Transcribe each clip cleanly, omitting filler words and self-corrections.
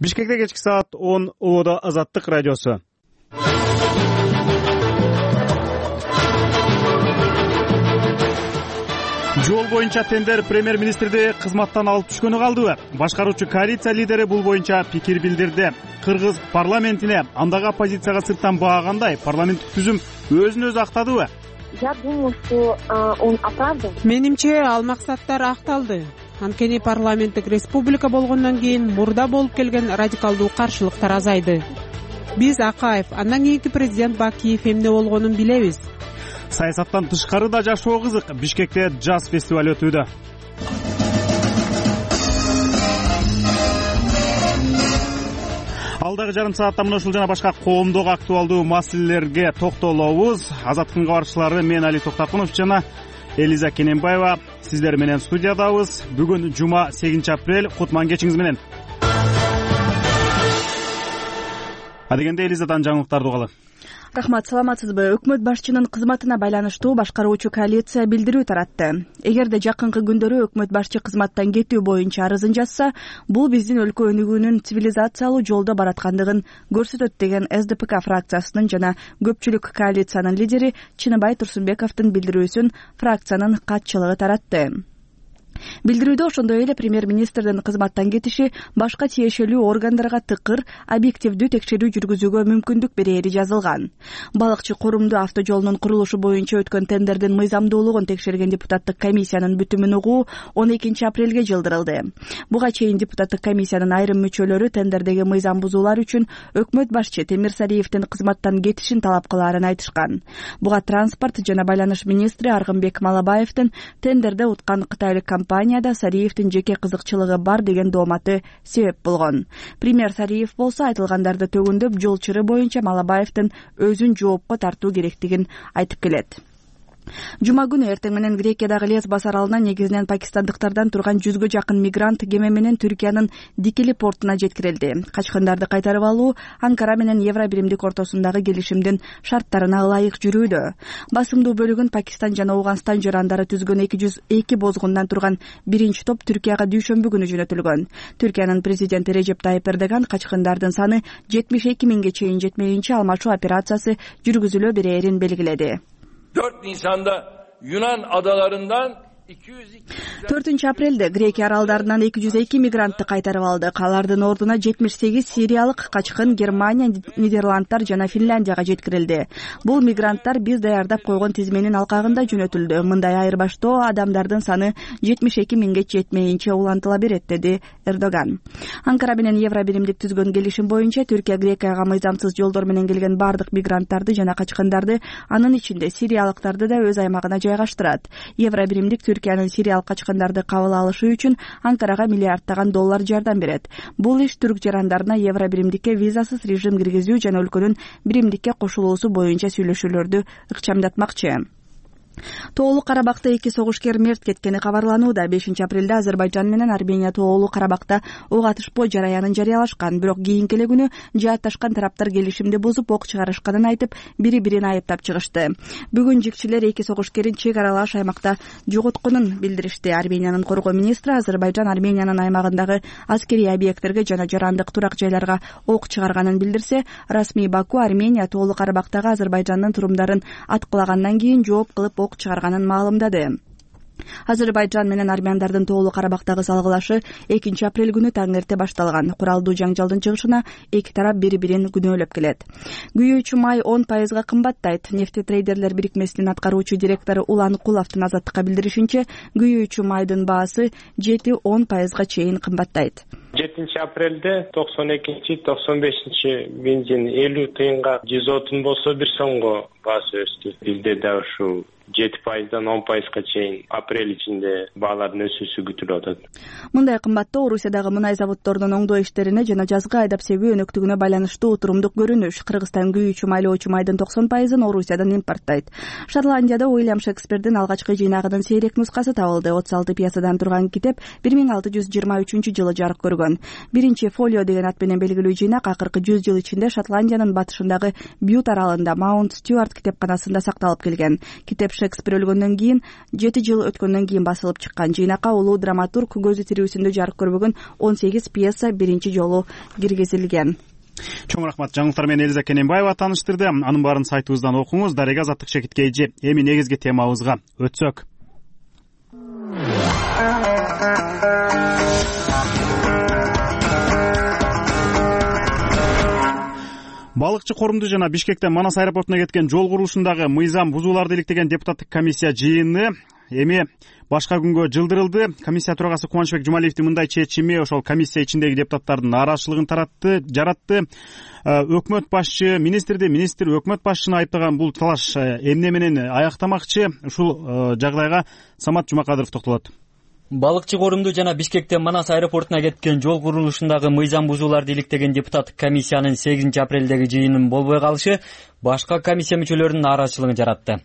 Бишкекте кечки саат 10 Ободо Азаттык радиосу. Жол боюнча тендер премьер-министрди кызматтан алып түшкөнү калдыбы? Башкаруучу коалиция лидери бул боюнча пикир билдирди. Кыргыз парламентине андагы оппозицияга сырттан баагандай парламенттик түзүм өзүн өзү актадыбы? Я думаю, что он оправдан. Менимче ал максаттар акталды. Анткени парламенттик республика болгондон кийин мурда болуп келген радикалдуу каршылыктар азайды. Биз Акаев, андан кийинки президент Бакиев эмне болгонун билебиз. Саясаттан тышкары да жашоо кызык. Бишкекте жаз фестиваль өтүүдө. Алдагы жарым саатта мына ушул жана башка коомдук актуалдуу маселелерге токтолобуз. Азаттыктын кабарчылары мен Али Токтакунов жана Элиза Кененбаева сиздер менен студиядабыз. Бүгүн жума 8-апрель. Кутман кечиңиз менен. Адегенде Элизадан жаңылыктарды угалы. Рахмат, саламатсызбы? Өкмөт башчынын кызматына байланыштуу башкаруучу коалиция билдирүү таратты. Эгерде жакынкы күндөрү өкмөт башчы кызматтан кетүү боюнча арызын жазса, бул биздин өлкө өнүгүүнүн цивилизациялуу жолдо бараткандыгын көрсөтөт деген СДПК фракциясынын жана көпчүлүк коалициянын лидери Чыныбай Турсунбековдун билдирүүсүн фракциянын катчылыгы таратты. Билдирүүдө ошондой эле премьер-министрдин кызматтан кетиши башка тиешелүү органдарга тыкыр, объективдүү текшерүү жүргүзүүгө мүмкүндүк берери жазылган. Балыкчы корумдуу автожолунун курулушу боюнча өткөн тендердин мыйзамдуулугун текшерген депутаттык комиссиянын бүтүмүн угуу 12-апрелге жылдырылды. Буга чейин депутаттык комиссиянын айрым мүчөлөрү тендердеги мыйзам бузуулар үчүн өкмөт башчы Темирсариевдин кызматтан кетишин талап кылаарын айтышкан. Буга транспорт жана байланыш министри Аргынбек Малабаевдин тендерде уткан кытайлык компанияда Сариевдин жеке кызыкчылыгы бар деген дооматы себеп болгон. Премьер Сариев болсо айтылгандарды төгүндөп, жол чыры боюнча Малабаевдин өзүн жоопко тартуу керектигин айтып келет. Жума күнү эртең менен Грекиядагы Лесбос аралына негизинен пакистандыктардан турган 100гө жакын мигрант кеме менен Түркиянын Дикили портуна жеткирилди. Качкындарды кайтарып алуу Анкара менен Евро биримдик ортосундагы келишимдин шарттарына ылайык жүрүүдө. Басымдуу бөлүгүн Пакистан жана Ауганстан жарандары түзгөн 202 бозгундан турган биринчи топ Түркияга дүйшөмбү күнү жөнөтүлгөн. Түркиянын президенти Режеп Тайып Эрдоган качкындардын саны 72 миңге чейин жетмейинче алмашуу операциясы жүргүзүлө берерин белгиледи. 4 Nisan'da Yunan adalarından 4-апрелде Грекия аралдарынан 202 мигрантты кайтарып алдык. Алардын ордуна 78 сириялык качкын Германия, Нидерландтар жана Финляндияга жеткирилди. Бул мигранттар биз даярдап койгон тизменин алкагында жөнөтүлдү. Мындай айырбаштоо адамдардын саны 72 миңге жетмейинче улантыла берет, деди Эрдоган. Анкара менен Евро биримдик түзгөн келишим боюнча Түркия Грекияга мыйзамсыз жолдор менен келген бардык мигранттарды жана качкындарды, анын ичинде сириялыктарды да өз аймагына жайгаштырат. Евро биримдик Түркиянын сириялык качкындарды кабыл алышы үчүн Анкарага миллиарддаган доллар жардам берет. Бул иш түрк жарандарына Евро биримдикке визасыз режим киргизүү жана өлкөнүн биримдикке кошулуусу боюнча сүйлөшүүлөрдү ыкчамдатмакчы. Тоолуу Карабакта 2 согушкер мерт кеткени кабарланууда. 5-апрелде Азербайжан менен Армения Тоолуу Карабакта ок атышпоо жараянын жарыялашкан. Бирок кийинки эле күнү жаатташкан тараптар келишимди бузуп ок чыгарышканын айтып, бири-бирин айыптап чыгышты. Бүгүн жикчилер 2 согушкерин чек аралаш аймакта жоготконун билдиришти. Армениянын коргоо министри Азербайжан Армениянын аймагындагы аскерий объекттерге жана жарандык турак жайларга ок чыгарганын билдирсе, расмий Баку Армения Тоолуу Карабактагы Азербайжандын турумдарын аткылагандан кийин жооп кылып ок чыгарганын маалымдады. Азербайжан менен армяндардын Тоолуу Карабактагы салгылашы 2-апрель күнү таң эрте башталган. Куралдуу жаңжалдын чыгышына эки тарап бири-бирин күнөөлөп келет. Күйүүчү май 10% кымбаттайт. Нефтетрейдерлер бирикмесинин аткаруучу директору Улан Куловдун Азаттыкка билдиришинче, күйүүчү майдын баасы 7-10% чейин кымбаттайт. 7-апрелде 92-95 бензин 50 тыйынга 130 болсо 1 сомго баасы өстү. Бизде да ушу 7%-дан 10%га чейин апрель ичинде баалардын өсүүсү күтүлүп атат. Мындай кымбаттоо Орусиядагы мунай заводдорунун оңдоо иштерине жана жазгы айдап себүү өнөктүгүнө байланыштуу турумдук көрүнүш. Кыргызстан күйүүчү майлоочу майдын 90%-ын Орусиядан импорттайт. Шотландияда Уильям Шекспирдин алгачкы жыйнагынын сейрек нускасы табылды. 36 пьесадан турган китеп 1623-жылы жарык көргөн. Биринчи фолио деген ат менен белгилүү жыйнак акыркы 100 жыл ичинде Шотландиянын батышындагы Бют аралында Маунт Стюарт китепканасында сакталып келген. Китеп Шекспир өлгөндөн кийин 7 жыл өткөндөн кийин басылып чыккан. Жыйнакка улуу драматург көзү тирүүсүндө жарык көрбөгөн 18 пьеса биринчи жолу киргизилген. Чоң рахмат. Жаңылыктар менен Элиза Кененбаева тааныштырды. Анын баарын сайтыбыздан окуңуз. Дарега Азаттык Шекитке эже. Эми негизги темабызга өтсөк. Балыкчы корумду жана Бишкектен Манас аэропортуна кеткен жол курулушундагы мыйзам бузууларды иликтеген депутаттык комиссия жыйыны эми башка күнгө жылдырылды. Комиссия төрагасы Кубанычбек Жумалиевдин мындай чечими ошол комиссия ичиндеги депутаттардын нааразычылыгын жаратты. Өкмөт башчы министр өкмөт башчыны айыптаган бул талаш эмне менен аяктамакчы? Ушул жагдайга Самат Жумакадыров токтолот. Балыкчы корумду жана Бишкектен Манас аэропортуна кеткен жол курулушундагы мыйзам бузууларды иликтеген депутаттык комиссиянын 8 апрелдеги жыйынын болбой калышы башка комиссия мүчөлөрүнүн нааразычылыгын жаратты.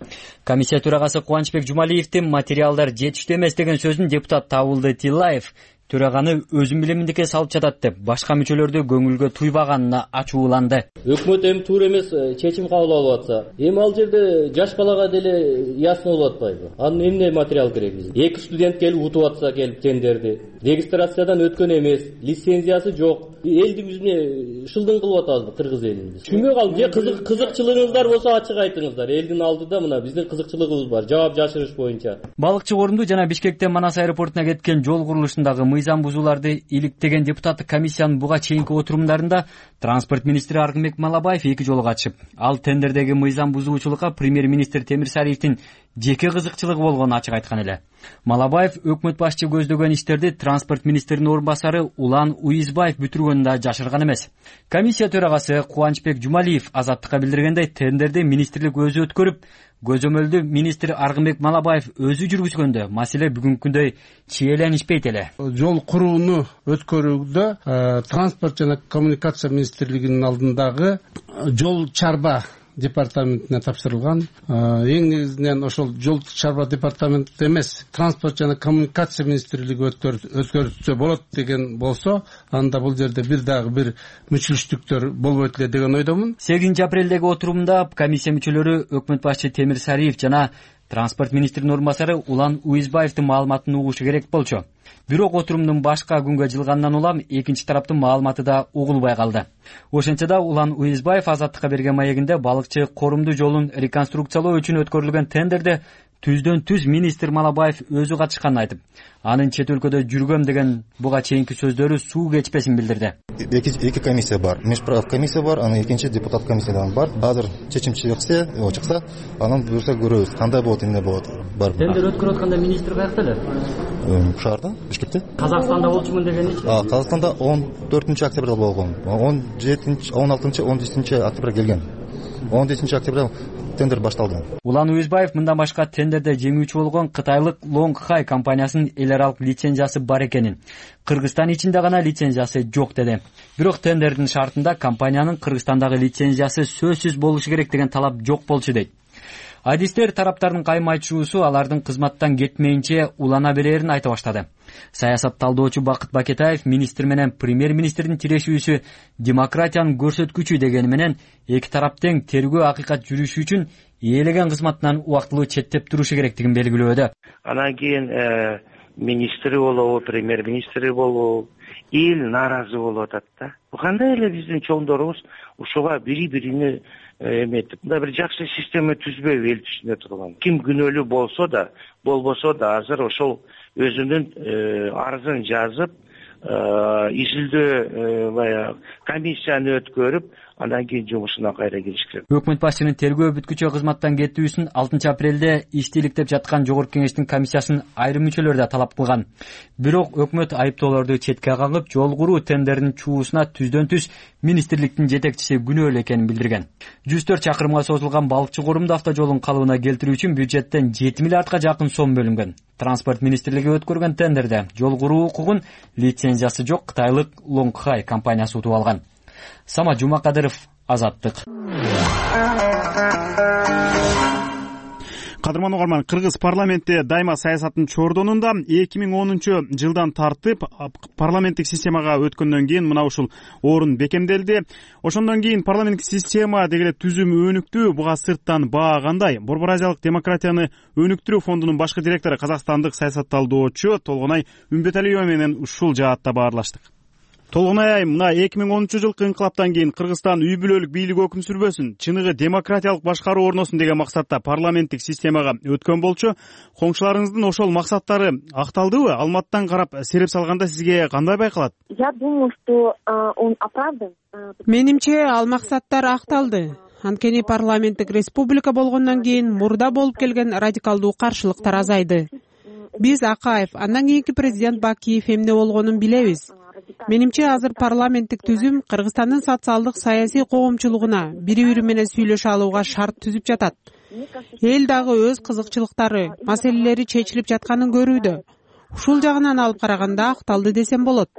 Комиссия төрагасы Кубанычбек Жумалиевдин материалдар жетиштүү эмес деген сөзүн депутат Табылды Тилаев төраганы өзүм билиминдикке салып жатат деп башка мүчөлөрдү көңүлгө туйбаганына ачууланды. Өкмөт эми туура эмес чечим кабыл алып атса, эми ал жерде жаш балага деле ясно болуп атпайбы? Анын эмне материал керек бизге? 2 студент келип утуп атса келип тендерди. Регистрациядан өткөн эмес, лицензиясы жок. Элди бизне шылдың кылып атабызбы кыргыз элин? Түшүнбөй калдым. Же кызыкчылыгыңыздар болсо ачык айтыңыздар. Элдин алдыда мына биздин кызыкчылыгыбыз бар. Жаап жашырыш боюнча. Балыкчы корумду жана Бишкектен Манас аэропортуна кеткен жол курулушундагы мыйзам бузууларды иликтеген депутаттык комиссиянын буга чейинки отурумдарында транспорт министри Аргынбек Малабаев 2 жолу катышып, ал тендердеги мыйзам бузуучулукка премьер-министр Темирсариевдин жеке кызыкчылыгы болгонун ачык айткан эле. Малабаев өкмөт башчы көздөгөн иштерди транспорт министринин орун басары Улан Уизбаев бүтүргөнүн да жашырган эмес. Комиссия төрагасы Кубанычбек Жумалиев Азаттыкка билдиргендей, тендерди министрлик өзү өткөрүп, көзөмөлдү министр Аргынбек Малабаев өзү жүргүзгөндө маселе бүгүнкүндөй чиеленишпейт эле. Жол курууну өткөрүүдө транспорт жана коммуникация министрлигинин алдындагы жол чарба департаментине тапшырылган. Эң негизинен ошол жол чарба департаменти эмес, транспорт жана коммуникация министрлиги өткөрүлсө болот деген болсо, анда бул жерде бир мүчүлүштүктөр болбойт эле деген ойдомун. 8 апрелдеги отурумда комиссия мүчөлөрү өкмөт башчы Темирсариев жана транспорт министринин орун басары Улан Уизбаевдин маалыматын угушу керек болчу. Бирок отурумдун башка күнгө жылгандан улам экинчи тараптын маалыматы да угулбай калды. Ошентсе да Улан Уизбаев Азаттыкка берген маегинде балыкчы корумду жолун реконструкциялоо үчүн өткөрүлгөн тендерде түздөн түз министр Малабаев өзү катышканын айтып, анын чет өлкөдө жүргөм деген буга чейинки сөздөрү суу кечпесин билдирди. Эки комиссия бар. Межправ комиссия бар, анан экинчи депутат комиссиядан бар. Азыр чечим чыкса, анан буюрса көрөбүз, кандай болот, эмне болот. Тендер өткөрүп атканда министр каякта эле? Шаарда, Бишкекте. Казакстанда болчумун дегеничи? Казакстанда 14 октябрда болгон. 16 октябрда келген. 17 октябрда тендер башталды. Улан Уизбаев мындан башка тендерде жеңүүчү болгон кытайлык Long Hai компаниясынын эл аралык лицензиясы бар экенин, Кыргызстан ичинде гана лицензиясы жок деди. Бирок тендердин шартында компаниянын Кыргызстандагы лицензиясы сөзсүз болушу керек деген талап жок болчу дейт. Адистер тараптардын кайым айтышуусу алардын кызматтан кетмейинче улана берерин айта баштады. Саясат талдоочу Бакыт Бакетаев министр менен премьер-министрдин тирешүүсү демократиянын көрсөткүчү дегени менен эки тарап тең тергөө акыйкат жүрүшү үчүн ээлеген кызматынан убактылуу четтеп турушу керектигин белгилөөдө. Анан кийин министри болобу, премьер-министри болобу, эл нааразы болуп атат да. Кандай эле биздин чоңдорубуз ушуга бири-бирини эметип, мындай бир жакшы система түзбөйбү эл түшүнө турган. Ким күнөөлүү болсо да, болбосо да азыр ошол өзүнүн арызын жазып, изилдөө комиссияны өткөрүп, андан кийин жумушуна кайра кириш керек. Өкмөт башчынын тергөө бүткүчө кызматтан кетүүсүн 6 апрелде иштеликтеп жаткан Жогорку Кеңештин комиссиясынын айрым мүчөлөрү да талап кылган. Бирок өкмөт айыптоолорду четке кагып, жол куруу тендеринин чуусуна түздөн түз министрликтин жетекчиси күнөөлүү экенин билдирген. 104 чакырымга созулган балыкчы корумду автожолун калыбына келтирүү үчүн бюджеттен 7 миллиардка жакын сом бөлүнгөн. Транспорт министрлиги өткөргөн тендерде жол куруу укугун лицензиясы жок кытайлык Long Hai компаниясы утуп алган. Самат Жумакадыров, Азаттык. Кадырман угарман, кыргыз парламенти дайыма саясаттын чордонунда 2010 жылдан тартып парламенттик системага өткөндөн кийин мына ушул орун бекемделди. Ошондон кийин парламенттик система деги эле түзүм өнүктү. Буга сырттан баа кандай? Борбор Азиялык демократияны өнүктүрүү фондунун башкы директору, казакстандык саясатталдоочу Толгонай Үмбеталиева менен ушул жаатта баарлаштык. Толгонай, мына 2010-жылкы инкылаптан кийин Кыргызстан үй бүлөлүк бийлик өкүм сүрбөсүн, чыныгы демократиялык башкаруу орносун деген максатта парламенттик системага өткөн болчу. Коңшуларыңыздын ошол максаттары акталдыбы? Алматтан карап сереп салганда сизге кандай байкалат? Я думаю, что он оправдан. Менимче ал максаттар акталды. Анткени парламенттик республика болгондон кийин мурда болуп келген радикалдуу каршылыктар азайды. Биз Акаев, андан кийинки президент Бакиев эмне болгонун билебиз. Менимче азыр парламенттик түзүм Кыргызстандын социалдык саясий коомчулугуна бири-бири менен сүйлөшө алууга шарт түзүп жатат. Эл дагы өз кызыкчылыктары, маселелери чечилип жатканын көрүүдө. Ушул жагынан алып караганда акталды десем болот.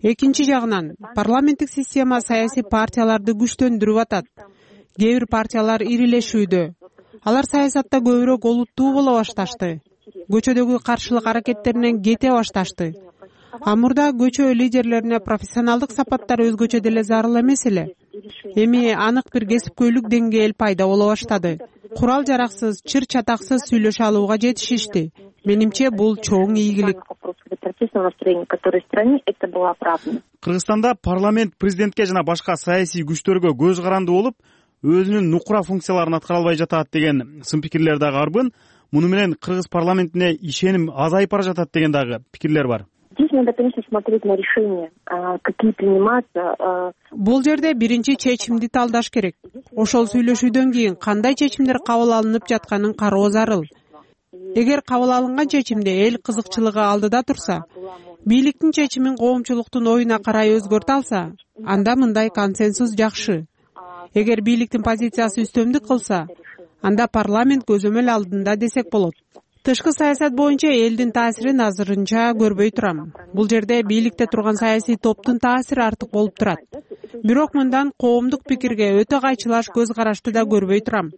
Экинчи жагынан, парламенттик система саясий партияларды күчтөндүрүп атат. Кээ бир партиялар ирилешүүдө. Алар саясатта көбүрөөк олуттуу боло башташты. Көчөдөгү каршылык аракеттеринен кете башташты. Мурда көчө лидерлерине профессионалдык сапаттар өзгөчө деле зарыл эмес эле. Эми анык бир кесипкөйлүк деңгээл пайда боло баштады. Курал жараксыз, чыр чатаксыз сүйлөшө алууга жетишишти. Менимче бул чоң ийгилик. Кыргызстанда парламент президентке жана башка саясий күчтөргө көз каранды болуп, өзүнүн нукура функцияларын аткара албай жатат деген сын пикирлер дагы арбын. Муну менен кыргыз парламентине ишеним азайып бара жатат деген дагы пикирлер бар. Здесь надо, конечно, смотреть на решения, какие приниматься. Бул жерде биринчи чечимди талдаш керек. Ошол сүйлөшүүдөн кийин кандай чечимдер кабыл алынып жатканын кароо зарыл. Эгер кабыл алынган чечимде эл кызыкчылыгы алдыда турса, бийликтин чечимин коомчулуктун оюна карай өзгөртө алса, анда мындай консенсус жакшы. Эгер бийликтин позициясы үстөмдүк кылса, анда парламент көзөмөл алдында десек болот. Тышкы саясат боюнча элдин таасирин азырынча көрбөй турам. Бул жерде бийликте турган саясий топтун таасири артык болуп турат. Бирок мындан коомдук пикирге өтө кайчылаш көз карашты да көрбөй турам.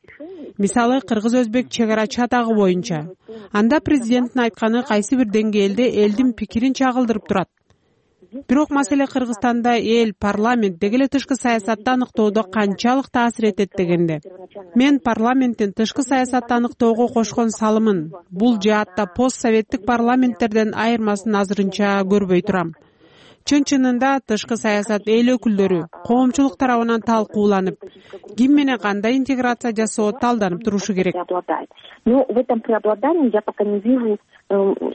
Мисалы, кыргыз-өзбек чек ара чатагы боюнча. Анда президенттин айтканы кайсы бир деңгээлде элдин пикирин чагылдырып турат. Бирок маселе Кыргызстанда эл, парламент деги эле тышкы саясатты аныктоодо канчалык таасир этет дегенде. Мен парламенттин тышкы саясатты аныктоого кошкон салымын бул жаатта постсоветтик парламенттерден айырмасын азырынча көрбөй турам. Чын-чынында тышкы саясат эл өкүлдөрү, коомчулук тарабынан талкууланып, ким менен кандай интеграция жасоо талданып турушу керек. Но в этом преобладании я пока не вижу,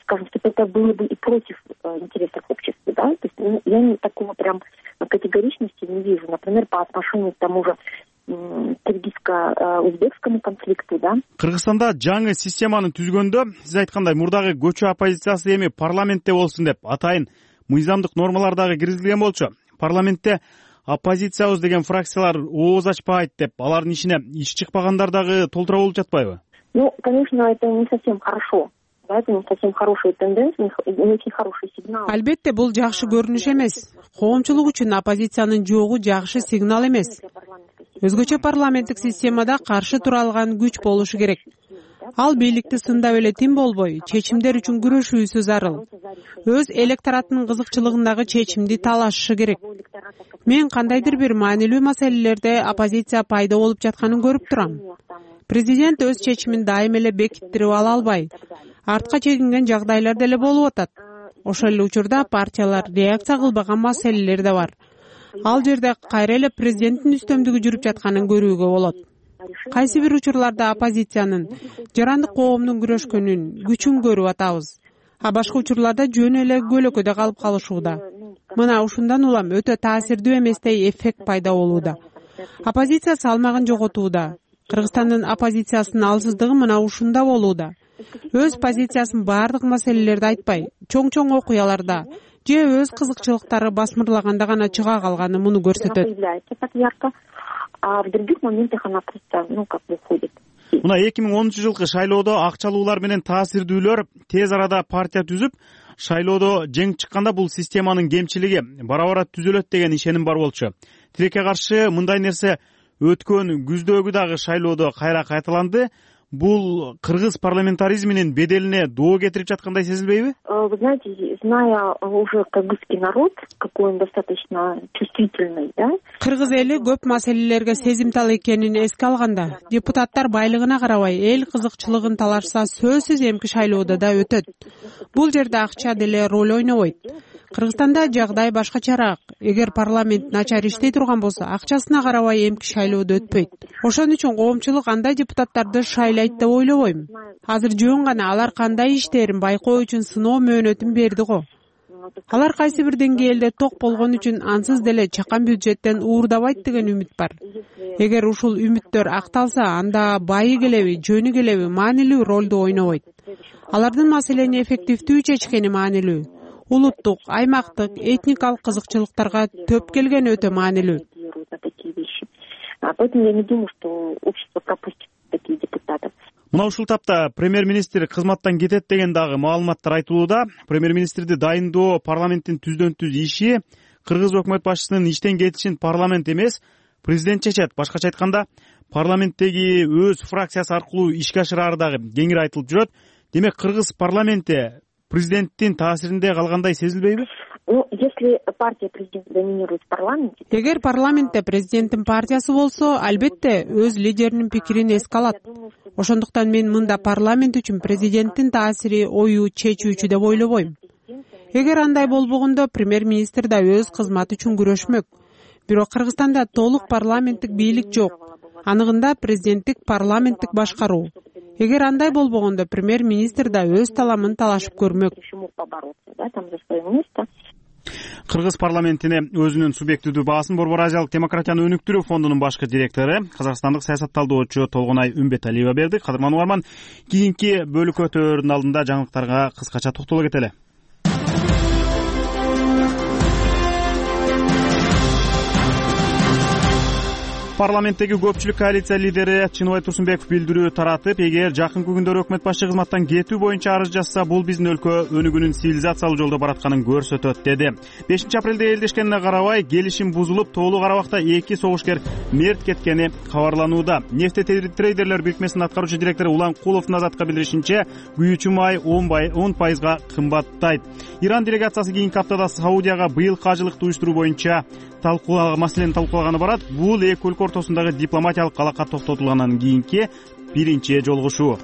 скажем, что это было бы и против интересов общества, да? То есть я такого прям категоричности не вижу. Например, по отношению к тому же киргизско-узбекскому конфликту, да? Кыргызстанда жаңы системаны түзгөндө, сиз айткандай мурдагы көчө оппозициясы эми парламентте болсун деп атайын мыйзамдык нормалар дагы киргизилген болчу. Парламентте оппозициябыз деген фракциялар ооз ачпайт деп, алардын ишине иш чыкпагандар дагы толтура болуп жатпайбы? Ну, конечно, это не совсем хорошо. Да, это не совсем хорошая тенденция, не очень хороший сигнал. Албетте, бул жакшы көрүнүш эмес. Коомчулук үчүн оппозициянын жогу жакшы сигнал эмес. Өзгөчө парламенттик системада каршы тура алган күч болушу керек. Ал бийликти сындап эле тим болбой, чечимдер үчүн күрөшүүсү зарыл. Өз электоратынын кызыкчылыгындагы чечимди талашышы керек. Мен кандайдыр бир маанилүү маселелерде оппозиция пайда болуп жатканын көрүп турам. Президент өз чечимин дайым эле бекиттирип ала албай, артка чегинген жагдайлар деле болуп атат. Ошол эле учурда партиялар реакция кылбаган маселелер да бар. Ал жерде кайра эле президенттин үстөмдүгү жүрүп жатканын көрүүгө болот. Кайсы бир учурларда оппозициянын, жарандык коомдун күрөшкөнүн, күчүн көрүп атабыз. А башка учурларда жөн эле көлөкөдө калып калышууда. Мына ушундан улам өтө таасирдүү эместей эффект пайда болууда. Оппозиция салмагын жоготууда. Кыргызстандын оппозициясынын алсыздыгы мына ушунда болууда. Өз позициясын баардык маселелерде айтпай, чоң-чоң окуяларда же өз кызыкчылыктары басмырлаганда гана чыга калганы муну көрсөтөт. А в других моментах она просто, уходит. Мына 2010-жылкы шайлоодо акчалуулар менен таасирдүүлөр тез арада партия түзүп, шайлоодо жеңип чыкканда бул системанын кемчилиги бара-бара түзөлөт деген ишеним бар болчу. Тилекке каршы мындай нерсе өткөн күздөгү дагы шайлоодо кайра кайталанды. бул кыргыз парламентаризминин беделине доо кетирип жаткандай сезилбейби? Вы знаете, зная уже кыргызский народ, какой он достаточно чувствительный, да? Кыргыз эли көп маселелерге сезимтал экенин эске алганда, депутаттар байлыгына карабай эл кызыкчылыгын талашса сөзсүз эмки шайлоодо да өтөт. Бул жерде акча деле роль ойнобойт. Кыргызстанда жагдай башкачараак. Эгер парламент начар иштей турган болсо, акчасына карабай эмки шайлоодо өтпөйт. Ошон үчүн коомчулук андай депутаттарды шайлайт деп ойлобойм. Азыр жөн гана алар кандай иштерин байкоо үчүн сыноо мөөнөтүн берди го. Алар кайсы бир деңгээлде ток болгон үчүн ансыз деле чакан бюджеттен уурдабайт деген үмүт бар. Эгер ушул үмүттөр акталса, анда байы келеби, жөнү келеби маанилүү ролду ойнобойт. Алардын маселени эффективдүү чечкени маанилүү. Улуттук, аймактык, этникалык кызыкчылыктарга төп келген өтө маанилүү. Поэтому я не думаю, что общество пропустит таких депутатов. Мына ушул тапта премьер-министр кызматтан кетет деген дагы маалыматтар айтылууда. Премьер-министрди дайындоо парламенттин түздөн-түз иши. Кыргыз өкмөт башчысынын иштен кетишин парламент эмес, президент чечет. Башкача айтканда, парламенттеги өз фракциясы аркылуу ишке ашырары дагы кеңири айтылып жүрөт. Демек, кыргыз парламенти президенттин таасиринде калгандай сезилбейби? Если партия президента доминирует в парламенте... Эгер парламентте президенттин партиясы болсо, албетте өз лидеринин пикирин эске алат. Ошондуктан мен мында парламент үчүн президенттин таасири ою чечүүчү деп ойлобойм. Эгер андай болбогондо, премьер-министр да өз кызматы үчүн күрөшмөк. Бирок Кыргызстанда толук парламенттик бийлик жок. Аныгында президенттик парламенттик башкаруу. Эгер андай болбогондо, премьер-министр да өз таламын талашып көрмөк. Кыргыз парламентине өзүнүн субъективдүү баасын Борбор Азиялык демократияны өнүктүрүү фондунун башкы директору, казакстандык саясат талдоочу Толгонай Үмбеталиева берди. Кадырман угарман, кийинки бөлүккө өтөөрдүн алдында жаңылыктарга кыскача токтоло кетели. Парламенттеги көпчүлүк коалиция лидери Чыныбай Турсунбеков билдирүү таратып, эгер жакынкы күндөрү өкмөт башчы кызматтан кетүү боюнча арыз жазса, бул биздин өлкө өнүгүүнүн цивилизациялык жолдо баратканын көрсөтөт деди. 5 апрелде элдешкенине карабай, келишим бузулуп, Тоолу Карабакта 2 согушкер мерт кеткени кабарланууда. Нефте трейдерлер бирикмесинин аткаруучу директору Улан Куловдун Азатка билдиришинче, күйүүчү май 10% кымбаттайт. Иран делегациясы кийинки аптада Саудияга быйылкы ажылыкты уюштуруу боюнча маселени талкуулаганы барат. Бул эки өлкө ортосундагы дипломатиялык алака токтотулгандан кийинки биринчи жолугушуу.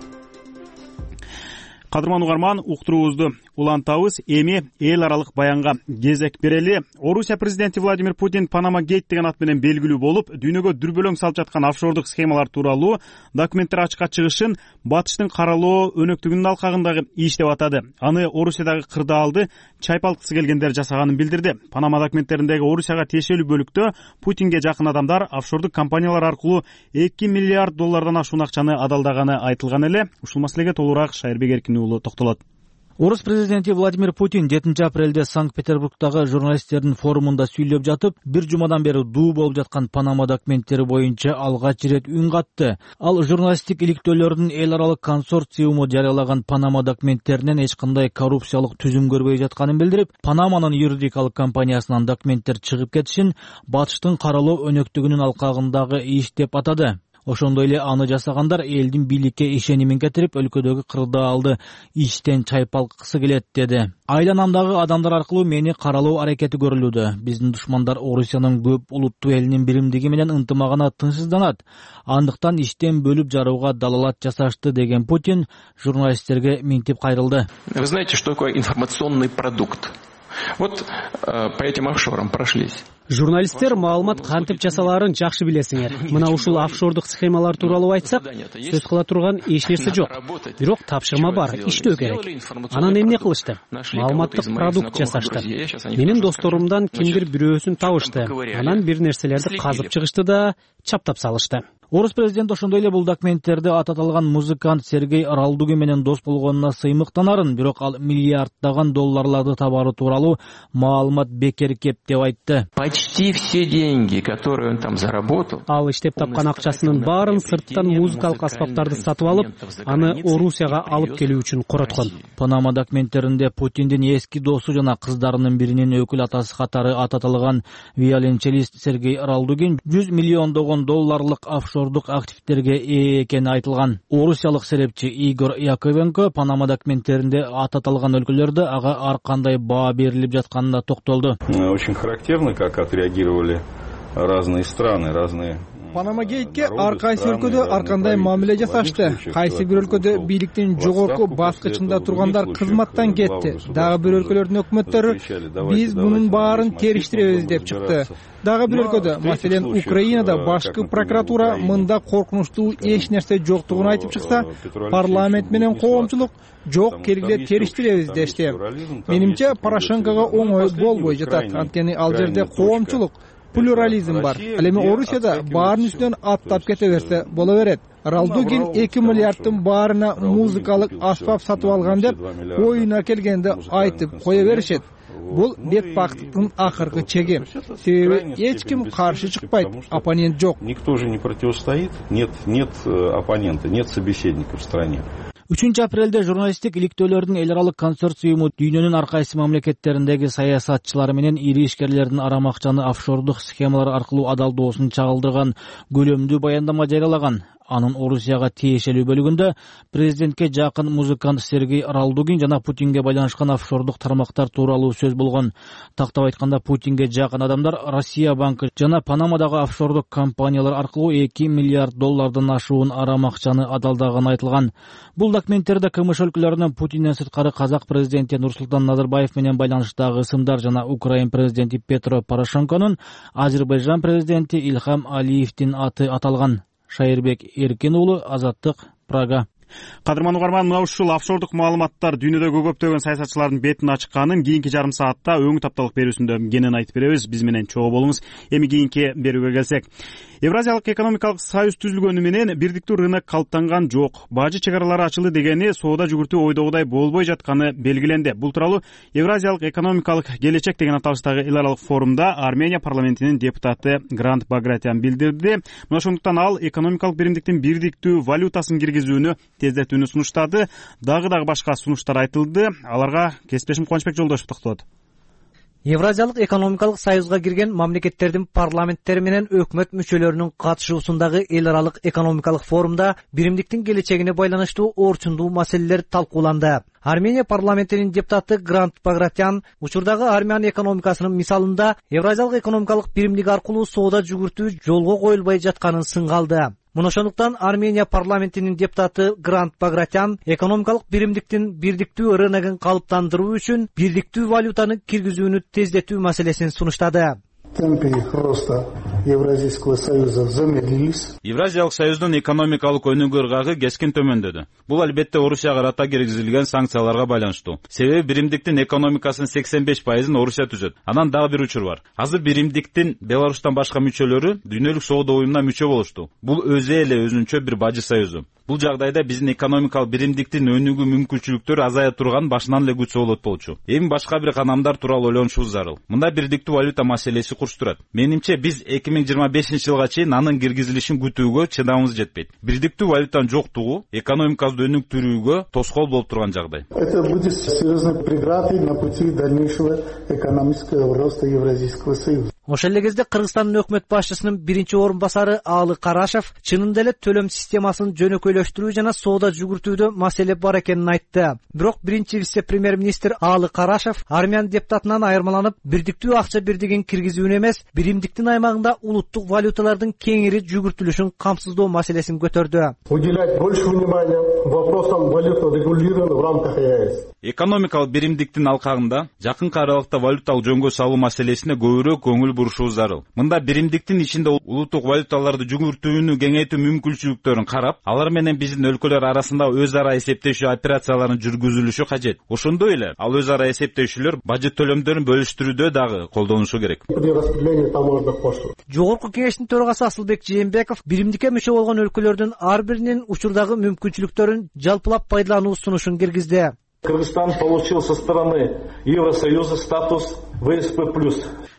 Кадырман угарман, уктуруубузду улантабыз. Эми эл аралык баянга кезек берели. Орусия президенти Владимир Путин Панама гейт деген ат менен белгилүү болуп, дүйнөгө дүрбөлөң салып жаткан офшордук схемалар тууралуу документтер ачыкка чыгышын батыштын каралоо өнөктүгүнүн алкагындагы иш деп атады. Аны Орусиядагы кырдаалды чайпалткысы келгендер жасаганын билдирди. Панама документтериндеги Орусияга тиешелүү бөлүктө Путинге жакын адамдар офшордук компаниялар аркылуу 2 миллиард доллардан ашуун акчаны адалдаганы айтылган эле. Ушул маселеге толугураак Шайырбек Эркин уулу токтолот. Орус президенти Владимир Путин 7 апрелде Санкт-Петербургдагы журналисттердин форумунда сүйлөп жатып, бир жумадан бери дуу болуп жаткан Панама документтери боюнча алгач ирет үн катты. Ал журналисттик иликтөөлөрдүн эл аралык консорциуму жарыялаган Панама документтеринен эч кандай коррупциялык түзүм көрбөй жатканын билдирип, Панаманын юридикалык компаниясынан документтер чыгып кетишин батыштын каралоо өнөктүгүнүн алкагындагы иш деп атады. Ошондой эле аны жасагандар элдин бийликке ишенимин кетирип, өлкөдөгү кырдаалды иштен чайпалткысы келет деди. Айланамдагы адамдар аркылуу мени каралоо аракети көрүлүүдө. Биздин душмандар Орусиянын көп улуттуу элинин биримдиги менен ынтымагына тынчсызданат. Андыктан иштен бөлүп жарууга далалат жасашты деген Путин журналисттерге минтип кайрылды. Вы знаете, что такое информационный продукт? Вот по этим офшорам прошлись. Журналисттер маалымат кантип жасалаарын жакшы билесиңер. Мына ушул офшордук схемалар тууралуу айтсак, сөз кыла турган эч нерсе жок. Бирок тапшырма бар, иштөө керек. Анан эмне кылышты? Маалыматтык продукт жасашты. Менин досторумдан кимдир бирөөсүн табышты. Анан бир нерселерди казып чыгышты да чаптап салышты. Орус президенти ошондой эле бул документтерди аталган музыкант Сергей Ралдуги менен дос болгонуна сыймыктанарын, бирок ал миллиарддаган долларларды табары тууралуу маалымат бекер кеп деп айтты. Почти все деньги, которые он там заработал. Ал иштеп тапкан акчасынын баарын сырттан музыкалык аспаптарды сатып алып, аны Орусияга алып келүү үчүн короткон. Панама документтеринде Путиндин эски досу жана кыздарынын биринин өкүл атасы катары аталган виолончелист Сергей Ралдугин 100 миллиондогон долларлык офшор офшордук активдерге ээ экени айтылган. Орусиялык серепчи Игорь Яковенко Панама документтеринде аталган өлкөлөрдө ага ар кандай баа берилип жатканына токтолду. Очень характерно, как отреагировали разные страны, разные. Панама гейтке ар кайсы өлкөдө ар кандай мамиле жасашты. Кайсы бир өлкөдө бийликтин жогорку баскычында тургандар кызматтан кетти. Дагы бир өлкөлөрдүн өкмөттөрү биз мунун баарын териштиребиз деп чыкты. Дагы бир өлкөдө, маселен Украинада башкы прокуратура мында коркунучтуу эч нерсе жоктугун айтып чыкса, парламент менен коомчулук жок келгиле териштиребиз дешти. Менимче Порошенкого оңой болбой жатат, анткени ал жерде коомчулук, плюрализм бар. Ал эми Орусияда баарын үстүнөн аттап кете берсе боло берет. Ралдугин 2 миллиардтын баарына музыкалык аспап сатып алган деп оюна келгенде айтып кое беришет. Бул бетпактыктын акыркы чеги. Себеби эч ким каршы чыкпайт, оппонент жок. Никто же не противостоит, нет оппонента, нет собеседника в стране. 3-апрелде журналисттик иликтөөлөрдүн эл аралык консорциуму дүйнөнүн ар кайсы мамлекеттериндеги саясатчылары менен ири ишкерлердин арам акчаны офшордук схемалар аркылуу адалдоосун чагылдырган көлөмдүү баяндама жарыялаган. Анын Орусияга тиешелүү бөлүгүндө президентке жакын музыкант Сергей Ралдугин жана Путинге байланышкан офшордук тармактар тууралуу сөз болгон. Тактап айтканда, Путинге жакын адамдар Россия банкы жана Панамадагы офшордук компаниялар аркылуу 2 миллиард доллардан ашуун арам акчаны адалдаганы айтылган. Бул документтерде КМШ өлкөлөрүнөн Путинден сырткары казак президенти Нурсултан Назарбаев менен байланыштагы ысымдар жана Украин президенти Петро Порошенконун, Азербайжан президенти Ильхам Алиевдин аты аталган. Шайырбек Эркин уулу, Азаттык, Прага. Кадырман угарман, мына ушул офшордук маалыматтар дүйнөдөгү көптөгөн саясатчылардын бетин ачканын кийинки жарым саатта өңү тапталык берүүсүндө кенен айтып беребиз. Биз менен чогуу болуңуз. Эми кийинки берүүгө келсек. Евразиялык экономикалык союз түзүлгөнү менен бирдиктүү рынок калыптанган жок. Бажы чек аралары ачылды дегени соода жүгүртүү ойдогудай болбой жатканы белгиленди. Бул тууралуу Евразиялык экономикалык келечек деген аталыштагы эл аралык форумда Армения парламентинин депутаты Грант Багратян билдирди. Мына ошондуктан ал экономикалык биримдиктин бирдиктүү валютасын киргизүүнү тездетүүнү сунуштады. Дагы башка сунуштар айтылды. Аларга кесиптешим Кубанычбек Жолдошев токтолот. Евразиялык экономикалык союзга кирген мамлекеттердин парламенттери менен өкмөт мүчөлөрүнүн катышуусундагы эл аралык экономикалык форумда биримдиктин келечегине байланыштуу орчундуу маселелер талкууланды. Армения парламентинин депутаты Грант Багратян учурдагы Армян экономикасынын мисалында Евразиялык экономикалык биримдик аркылуу соода жүгүртүү жолго коюлбай жатканын сынгалды. Мына ошондуктан Армения парламентинин депутаты Грант Багратян экономикалык биримдиктин бирдиктүү рыногун калыптандыруу үчүн бирдиктүү валютаны киргизүүнү тездетүү маселесин сунуштады. Темпы роста Евразийского союза замедлились. Евразиялык союздун экономикалык өнүгүү ыргагы кескин төмөндөдү. Бул албетте Орусияга карата киргизилген санкцияларга байланыштуу. Себеби биримдиктин экономикасынын 85%-ын Орусия түзөт. Анан дагы бир учур бар. Азыр биримдиктин Беларустан башка мүчөлөрү дүйнөлүк соода уюмуна мүчө болушту. Бул өзү эле өзүнчө бир бажы союзу. Бул жагдайда биздин экономикалык биримдиктин өнүгүү мүмкүнчүлүктөрү азая турган башынан эле күчө болот болчу. Эми башка бир канамдар тууралуу ойлонушубуз зарыл. Мында бирдиктүү валюта маселеси курчтурат. Менимче биз 2025-жылга чейин анын киргизилишин күтүүгө чыдамыбыз жетпейт. Бирдиктүү валютанын жоктугу экономикабызды өнүктүрүүгө тоскоол болуп турган жагдай. Это будет серьезной преградой на пути дальнейшего экономического роста Евразийского союза. Ошол эле кезде Кыргызстандын өкмөт башчысынын биринчи орун басары Аалы Карашев чынында эле төлөм системасын жөнөкөйлөштүрүү жана соода жүгүртүүдө маселе бар экенин айтты. Бирок биринчи вице-премьер-министр Аалы Карашев Армян депутатынан айырмаланып, бирдиктүү акча бирдигин киргизүүнү эмес, биримдиктин аймагында улуттук валюталардын кеңири жүгүртүлүшүн камсыздоо маселесин көтөрдү. Уделять больше внимания вопросам валютного регулирования в рамках ЕАЭС. Экономикалык биримдиктин алкагында жакынкы аралыкта валюталык жөнгө салуу маселесине көбүрөөк көңүл бурушубуз зарыл. Мында биримдиктин ичинде улуттук валюталарды жүгүртүүнү кеңейтүү мүмкүнчүлүктөрүн карап, алар менен биздин өлкөлөр арасында өз ара эсептешүү операцияларын жүргүзүлүшү кажет. Ошондой эле ал өз ара эсептешүүлөр бажы төлөмдөрүн бөлүштүрүүдө дагы колдонулушу керек. Жогорку кеңештин төрагасы Асылбек Жээнбеков биримдикке мүчө болгон өлкөлөрдүн ар биринин учурдагы мүмкүнчүлүктөрүн жалпылап пайдалануу сунушун киргизди. Кыргызстан получил со стороны Евросоюза статус ВСП+.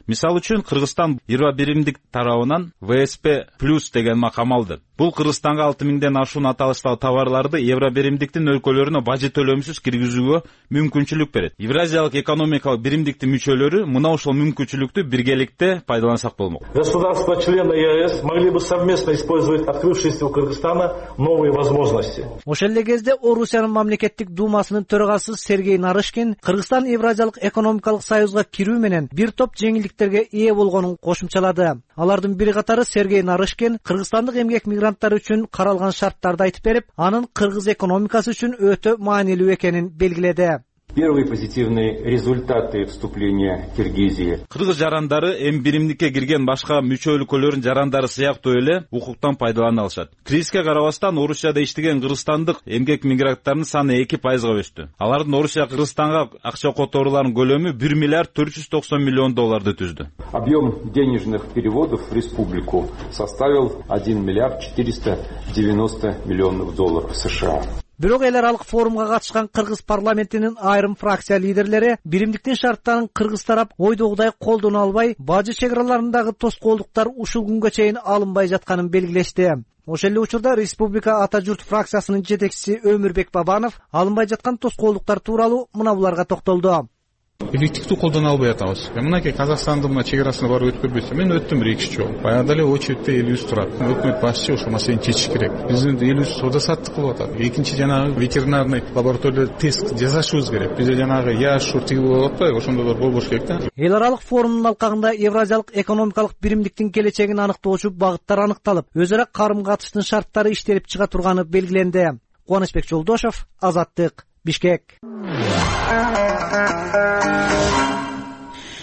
Мисалы үчүн Кыргызстан 21 тарабынан ВСП плюс деген макам алды. Бул Кыргызстанга 6000ден ашуун аталыштагы товарларды Евробиримдиктин өлкөлөрүнө бажы төлөмсүз киргизүүгө мүмкүнчүлүк берет. Евразиялык экономикалык биримдиктин мүчөлөрү мына ушул мүмкүнчүлүктү биргеликте пайдалансак болмок. Государства-члены ЕАЭС могли бы совместно использовать открывшиеся у Кыргызстана новые возможности. Ошол эле кезде Орусиянын мамлекеттик думасынын төрагасы Сергей Нарышкин Кыргызстан Евразиялык экономикалык союзга кирүү менен бир топ жеңилдиктерге ээ болгонун кошумчалады. Алардын бири катары Сергей Нарышкин Кыргызстандык эмгек мигранттары үчүн каралган шарттарды айтып берип, анын кыргыз экономикасы үчүн өтө маанилүү экенин белгиледи. Первые позитивные результаты вступления Киргизии. Кыргыз жарандары эми биримдикке кирген башка мүчө өлкөлөрдүн жарандары сыяктуу эле укуктан пайдалана алышат. Кризиске карабастан Орусияда иштеген кыргызстандык эмгек мигранттарынын саны 2%га өстү. Алардын Орусия Кыргызстанга акча которууларынын көлөмү 1 миллиард 490 миллион долларды түздү. Объем денежных переводов в республику составил 1 миллиард 490 миллионов долларов США. Бирок эл аралык форумга катышкан Кыргыз парламентинин айрым фракция лидерлери биримдиктин шарттарын кыргыз тарап ойдогудай колдоно албай, бажы чек араларындагы тоскоолдуктар ушул күнгө чейин алынбай жатканын белгилешти. Ошол эле учурда Республика Ата журт фракциясынын жетекчиси Өмүрбек Бабанов алынбай жаткан тоскоолдуктар тууралуу мына буларга токтолду. Эффективдүү колдоно албай атабыз. Мынакей Казакстандын мына чек арасына барып өткөрбөйсө, мен өттүм 1-2 жолу. Баягы эле очередте элибиз турат. Өкмөт башчы ошол маселени чечиш керек. Биздин элибиз соода саттык кылып атат. Экинчи жанагы ветеринарный лабораторияда тест жасашыбыз керек. Бизде жанагы яшур тиги болуп атпайбы, ошондой болбош керек да. Эл аралык форумдун алкагында Евразиялык экономикалык биримдиктин келечегин аныктоочу багыттар аныкталып, өз ара карым-катыштын шарттары иштелип чыга турганы белгиленди. Кубанычбек Жолдошов, Азаттык, Бишкек.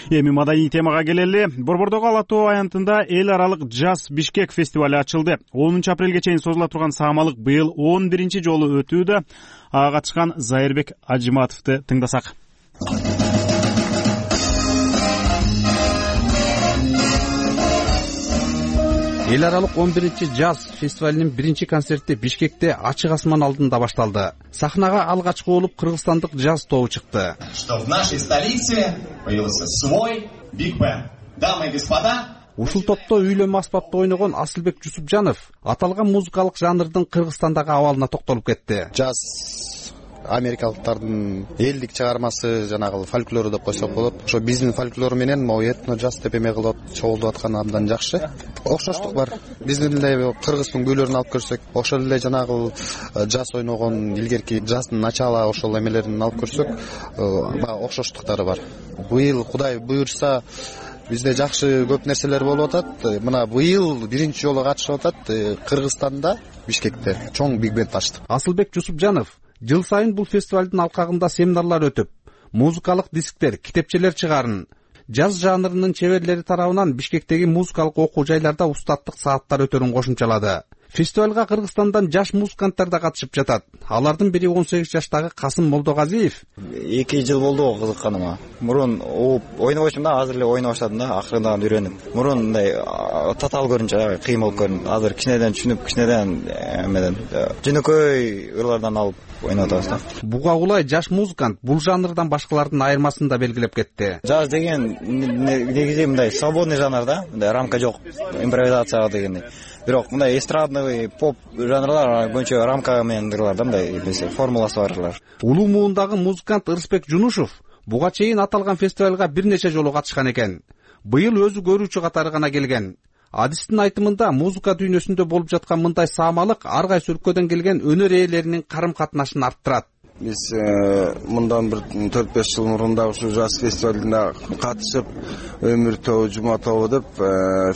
Эми маданий темага келели. Борбордогу Ала Тоо аянтында эл аралык Джаз Бишкек фестиваль ачылды. 10 апрелге чейин созула турган саамалык быйыл 11 жолу өтүүдө. Ага катышкан Зайырбек Ажиматовду тыңдасак. Эл аралык 11 Джаз фестивалинин биринчи концерти Бишкекте ачык асман алдында башталды. Сахнага алгачкы болуп кыргызстандык джаз тобу чыкты. Что в нашей столице появился свой биг бенд. Дамы и господа, ушул топто үйлөнмө аспапта ойногон Асылбек Жусупжанов аталган музыкалык жанрдын Кыргызстандагы абалына токтолуп кетти. Джаз америкалыктардын элдик чыгармасы, жанагы фольклору деп койсок болот. Ошо биздин фольклор менен могу этно джаз деп эме кылып чогулдуп аткан абдан жакшы. Окшоштук бар. Биздин эле кыргыздын күйлөрүн алып көрсөк, ошол эле жанагы джаз ойногон илгерки джаздын начало ошол эмелерин алып көрсөк, баягы окшоштуктары бар. Быйыл Кудай буйрса бизде жакшы көп нерселер болуп атат. Мына быйыл биринчи жолу катышып атат Кыргызстанда, Бишкекте чоң биг бенд ачты. Асылбек Жусупжанов жыл сайын бул фестивалдын алкагында семинарлар өтүп, музыкалык дисктер, китепчелер чыгарын, джаз жанрынын чеберлери тарабынан Бишкектеги музыкалык окуу жайларда устаттык сааттар өтөрүн кошумчалады. Фестивалга Кыргызстандан жаш музыканттар да катышып жатат. Алардын бири 18 жаштагы Касым Молдогазиев. 2 жыл болду кызыкканыма. Мурун ойнобочумун да, азыр эле ойноп баштадым да, акырындан үйрөнүп. Мурун мындай татаал көрүнчү, кыйын болуп көрүндү. Азыр кичинеден түшүнүп, кичинеден эмеден жөнөкөй ырлардан алып ойноп атабыз да. Буга улай жаш музыкант бул жанрдан башкалардын айырмасын да белгилеп кетти. Джаз деген негизи мындай свободный жанр да, мындай рамка жок, импровизация дегендей. Бирок мындай эстрадный поп жанрлар көбүнчө рамка менен ырлар да, мындай формуласы бар ырлар. Улуу муундагы музыкант Ырысбек Жунушев буга чейин аталган фестивалга бир нече жолу катышкан экен. Быйыл өзү көрүүчү катары гана келген. Адистин айтымында музыка дүйнөсүндө болуп жаткан мындай саамалык ар кайсы өлкөдөн келген өнөр ээлеринин карым-катнашын арттырат. Биз мындан бир 4-5 жыл мурун да ушу жаз фестивалына катышып, Өмүр тобу, Жума тобу деп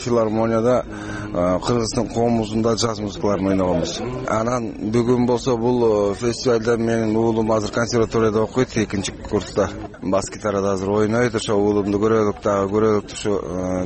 филармонияда Кыргыздын коомубузунда жаз музыкаларын ойногонбуз. Анан бүгүн болсо бул фестивалда менин уулум азыр консерваторияда окуйт, 2-нчи курста. Бас гитарада азыр ойнойт, ошо уулумду көрөлүк ушу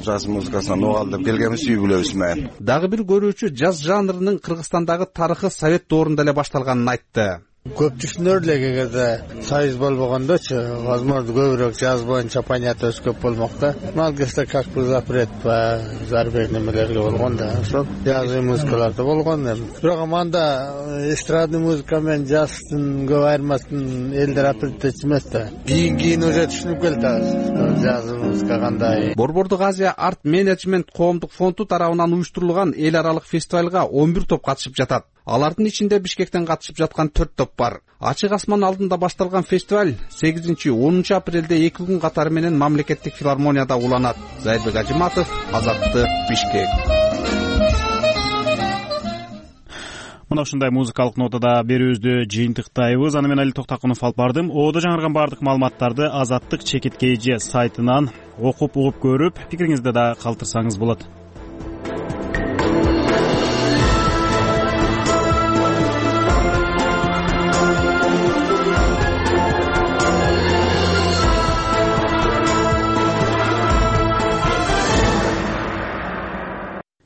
жаз музыкасынан угал деп келгенбиз, үй бүлөбүз менен. Дагы бир көрүүчү жаз жанрынын Кыргызстандагы тарыхы Совет доорунда эле башталганын айтты. Көптүшүнөр элек эгерде союз болбогондочу, возможно, көбүрөөк жаз боюнча понятосы көп болмок да. Малгеста как бы запрет по зарубежным немелерге болгон да. Ошол жазгы музыкаларда болгон. Бирок анда эстрадный музыка менен жаздын көп айырмасын элдер апреттечү эмес да. Кийин уже түшүнүп келет азыр жазгы музыка кандай. Борбордук Азия арт менеджмент коомдук фонду тарабынан уюштурулган эл аралык фестивалга 11 топ катышып жатат. Алардын ичинде Бишкектен катышып жаткан 4 топ бар. Ачык асман алдында башталган фестиваль 8-10 апрелде 2 күн катары менен мамлекеттик филармонияда уланат. Зайырбек Ажиматов, Азаттык, Бишкек. Мына ушундай музыкалык нотада берүүбүздү жыйынтыктайбыз. Аны мен Али Токтакунов алып бардым. Оодо жаңырган бардык маалыматтарды Азаттык ЧКТ сайтынан окуп угуп көрүп, пикириңизди да калтырсаңыз болот.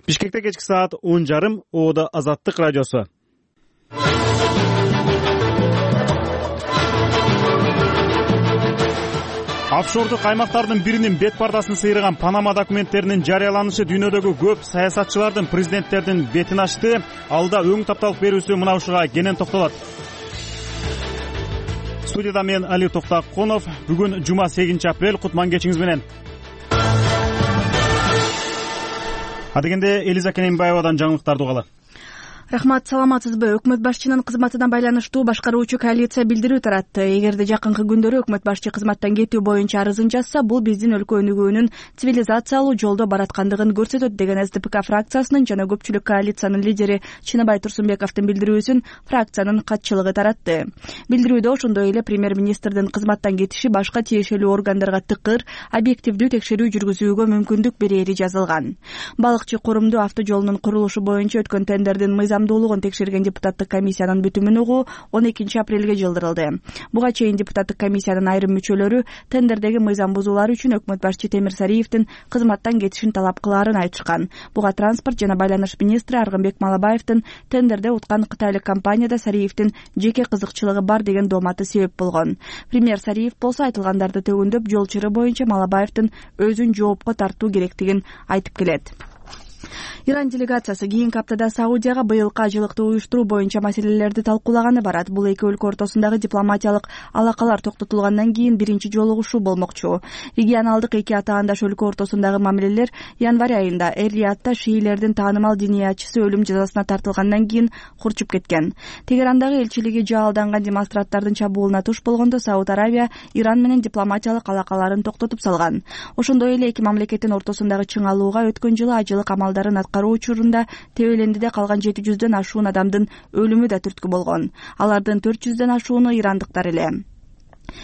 Бишкекте кечки саат 10:30, Оодо Азаттык радиосу. Офшордук аймактардын биринин бет пардасын сыйрыган Панама документтеринин жарыяланышы дүйнөдөгү көп саясатчылардын, президенттердин бетин ачты. Алда өң тапталык берүүсү мына ушуга кенен токтолот. Студияда мен Али Токтакунов. Бүгүн жума 8 апрель. Кутман кечиңиз менен. Адегенде Элиза Кененбаевадан жаңылыктарды угалы. Рахмат, саламатсызбы? Өкмөт башчынын кызматынан байланыштуу башкаруучу коалиция билдирүү таратты. Эгерде жакынкы күндөрү өкмөт башчы кызматтан кетүү боюнча арызын жазса, бул биздин өлкө өнүгүүнүн цивилизациялуу жолдо бараткандыгын көрсөтөт деген СДПК фракциясынын жана көпчүлүк коалициянын лидери Чыныбай Турсунбековдун билдирүүсүн фракциянын катчылыгы таратты. Билдирүүдө ошондой эле премьер-министрдин кызматтан кетиши башка тиешелүү органдарга тыкыр, объективдүү текшерүү жүргүзүүгө мүмкүндүк берери жазылган. Балыкчы Курумду авто жолунун курулушу боюнча өткөн тендердин мыйзамдуулугун текшерген депутаттык комиссиянын бүтүмүн угуу 12 апрелге жылдырылды. Буга чейин депутаттык комиссиянын айрым мүчөлөрү тендердеги мыйзам бузуулар үчүн өкмөт башчы Темир Сариевдин кызматтан кетишин талап кылаарын айтышкан. Буга транспорт жана байланыш министри Аргынбек Малабаевдин тендерде уткан кытайлык компанияда Сариевдин жеке кызыкчылыгы бар деген дооматы себеп болгон. Премьер Сариев болсо айтылгандарды төгүндөп, жол чыры боюнча Малабаевдин өзүн жоопко тартуу керектигин айтып келет. Иран делегациясы кийинки аптада Саудияга быйылкы ажылыкты уюштуруу боюнча маселелерди талкуулаганы барат. Бул эки өлкө ортосундагы дипломатиялык алакалар токтотулгандан кийин биринчи жолугушуу болмокчу. Регионалдык эки атаандаш өлкө ортосундагы мамилелер январь айында Эр-Риядда шиилердин таанымал диниятчысы өлүм жазасына тартылгандан кийин курчуп кеткен. Тегерандагы элчилиги жаалданган демонстранттардын чабуулуна туш болгондо Сауд Аравия Иран менен дипломатиялык алакаларын токтотуп салган. Ошондой эле эки мамлекеттин ортосундагы чыңалууга өткөн жылы ажылык амалдарын аткаруу учурунда Тебелендиде калган 700дөн ашуун адамдын өлүмү да түрткү болгон. Алардын 400дөн ашууну ирандыктар эле.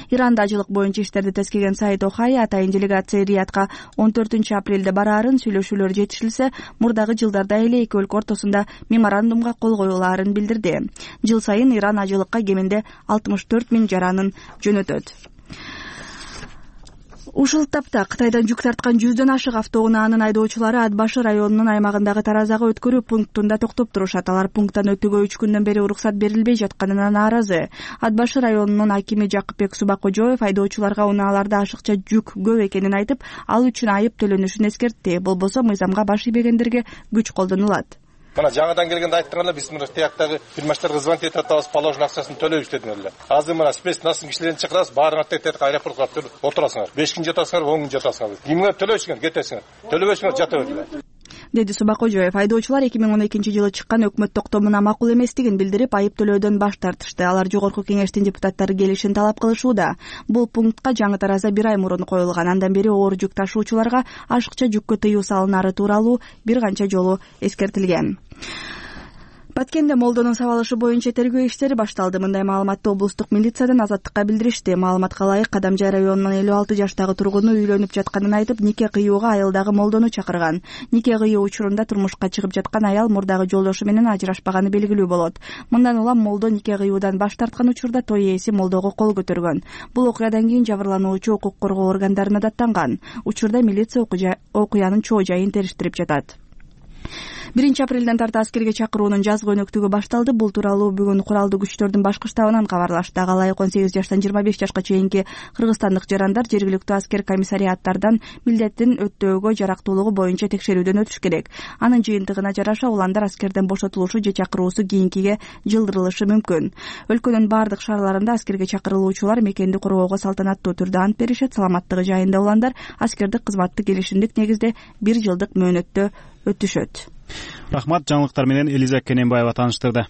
Иранда ажылык боюнча иштерди тескеген Саид Охай атайын делегация Риядка 14 апрелде бараарын, сүйлөшүүлөр жетишилсе, мурдагы жылдарда эле эки өлкө ортосунда меморандумга кол коюлаарын билдирди. Жыл сайын Иран ажылыкка кеминде 64 000 жаранын жөнөтөт. Ушул тапта Кытайдан жүк тарткан 100дөн ашык автоунаанын айдоочулары Атбашы районунун аймагындагы Таразага өткөрүү пунктунда токтоп турушат. Алар пункттан өтүүгө 3 күндөн бери уруксат берилбей жатканына нааразы. Атбашы районунун акими Жакыпбек Субакожоев айдоочуларга унааларда ашыкча жүк көп экенин айтып, ал үчүн айып төлөнүшүн эскертти. Болбосо мыйзамга баш ийбегендерге күч колдонулат. Мына жаңадан келгенде айттыңар эле, биз мына тияктагы фирмачтарга звонить этип атабыз, положен акчасын төлөйбүз дедиңер эле. Азыр мына спецнасын кишилерин чакырабыз, баарыңар тетип аэропортко алып отурасыңар. 5 күн жатасыңар, 10 күн жатасыңар. Кимге төлөйсүңөр, кетесиңер. Төлөбөсүңөр, жата бергиле. Деди Субакожоев. Айдоочулар 2012 жылы чыккан өкмөт токтомуна макул эместигин билдирип, айып төлөөдөн баш тартышты. Алар жогорку кеңештин депутаттары келишин талап кылышууда. Бул пунктка жаңы тараза 1 ай мурун коюлган. Андан бери оор жүк ташуучуларга ашыкча жүккө тыюу салынары тууралуу бир канча жолу эскертилген. Баткенде Молдонун сабалышы боюнча тергөө иштери башталды. Мындай маалыматты облустук милициядан Азаттыкка билдиришти. Маалыматка ылайык, Кадамжай районунун 56 жаштагы тургуну үйлөнүп жатканын айтып, нике кыюуга айылдагы Молдону чакырган. Нике кыюу учурунда турмушка чыгып жаткан аял мурдагы жолдошу менен ажырашпаганы белгилүү болот. Мындан улам Молдо нике кыюудан баш тарткан учурда той ээси Молдого кол көтөргөн. Бул окуядан кийин жабырлануучу укук коргоо органдарына даттанган. Учурда милиция окуянын чоо жайын териштирип жатат. 1-апрелден тарта аскерге чакыруунун жазгы өнөктүгү башталды. Бул тууралуу бүгүн куралдуу күчтөрдүн башкы штабынан кабарлашты. Ага ылайык 18 жаштан 25 жашка чейинки кыргызстандык жарандар жергиликтүү аскер комиссариаттардан милдетин өтөөгө жарактуулугу боюнча текшерүүдөн өтүш керек. Анын жыйынтыгына жараша уландар аскерден бошотулушу же чакыруусу кийинкиге жылдырылышы мүмкүн. Өлкөнүн бардык шаарларында аскерге чакырылуучулар мекенди коргоого салтанаттуу түрдө ант беришет. Саламаттыгы жайында уландар аскердик кызматты келишимдик негизде 1 жылдык мөөнөттө өтүшөт. Рахмат, жаңылыктар менен Элиза Кененбаева тааныштырды.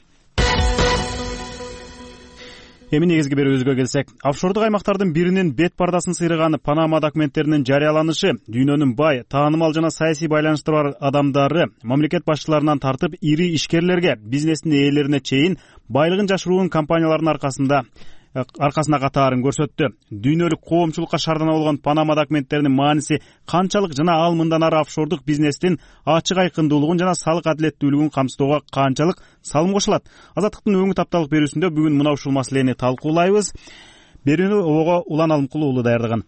Эми негизги берүүбүзгө келсек, офшордук аймактардын биринин бет пардасын сыйраган Панама документтеринин жарыяланышы дүйнөнүн бай, таанымал жана саясий байланышы бар адамдары мамлекет башчыларынан тартып ири ишкерлерге, бизнестин ээлерине чейин байлыгын жашыруун компаниялардын аркасына катаарын көрсөттү. Дүйнөлүк коомчулукка шаардана болгон Панама документтеринин мааниси канчалык жана ал мындан ары офшордук бизнестин ачык айкындуулугун жана салык адилеттүүлүгүн камсыздоого канчалык салым кошулат? Азаттыктын өңү тапталык берүүсүндө бүгүн мына ушул маселени талкуулайбыз. Берүүнү Ого Улан Алымкулуу уулу даярдаган.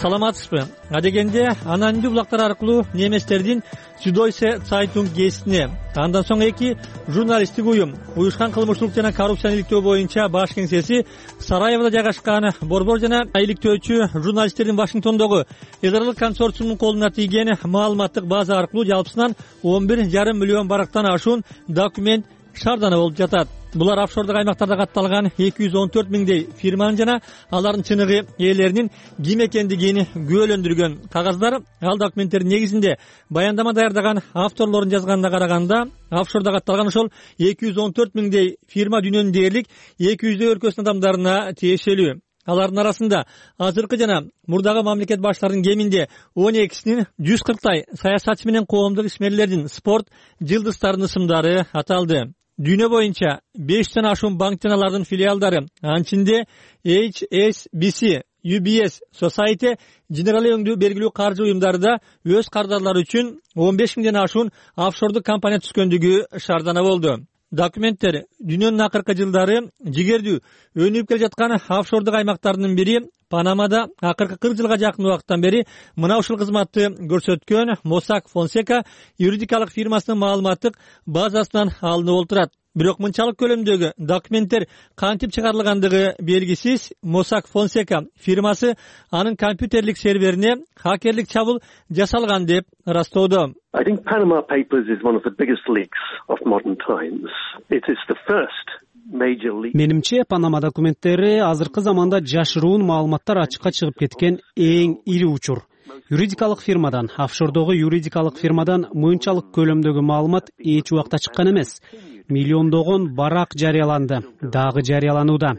Саламатсызбы? Адегенде анандүү булактар аркылуу неместердин Süddeutsche Zeitung гезитине, андан соң 2 журналисттик уюм уюшкан кылмыштуулук жана коррупцияны иликтөө боюнча баш кеңсеси Сараевода жайгашкан борбор жана иликтөөчү журналисттердин Вашингтондогу эл аралык консорциумунун колуна тийген маалыматтык база аркылуу жалпысынан 11,5 миллион барактан ашуун документ шаардана болуп жатат. Булар офшордук аймактарда катталган 214 миңдей фирманын жана алардын чыныгы ээлеринин ким экендигин күбөлөндүргөн кагаздар. Ал документтердин негизинде баяндама даярдаган авторлордун жазганына караганда, офшордо катталган ошол 214 миңдей фирма дүйнөнүн дээрлик 200 өлкөсүнүн адамдарына тиешелүү. Алардын арасында азыркы жана мурдагы мамлекет башчыларынын кеминде 12синин 140 саясатчы менен коомдук ишмерлердин спорт жылдыздарынын ысымдары аталды. Дүйнө боюнча 500тен ашуун банк жана алардын филиалдары, анчинде HSBC, UBS, Societe Generale өңдүү белгилүү каржы уюмдары да өз кардарлары үчүн 15 миңден ашуун офшордук компания түзгөндүгү шаардана болду. Документтер дүйнөнүн акыркы жылдары жигердүү өнүгүп келе жаткан офшордук аймактардын бири Панамада акыркы 40 жылга жакын убакыттан бери мына ушул кызматты көрсөткөн Mossack Fonseca юридикалык фирмасынын маалыматтык базасынан алынып олтурат. Бирок мынчалык көлөмдөгү документтер кантип чыгарылгандыгы белгисиз. Mossack Fonseca фирмасы анын компьютерлик серверине хакерлик чабуул жасалган деп ырастоодо. I think Panama Papers is one of the biggest leaks of modern times. It is the first Менимче, Панама документтери азыркы заманда жашыруун маалыматтар ачыкка чыгып кеткен эң ири учур. Юридикалык фирмадан, офшордогу юридикалык фирмадан мынчалык көлөмдөгү маалымат эч убакта чыккан эмес. Миллиондогон барак жарыяланды, дагы жарыяланууда.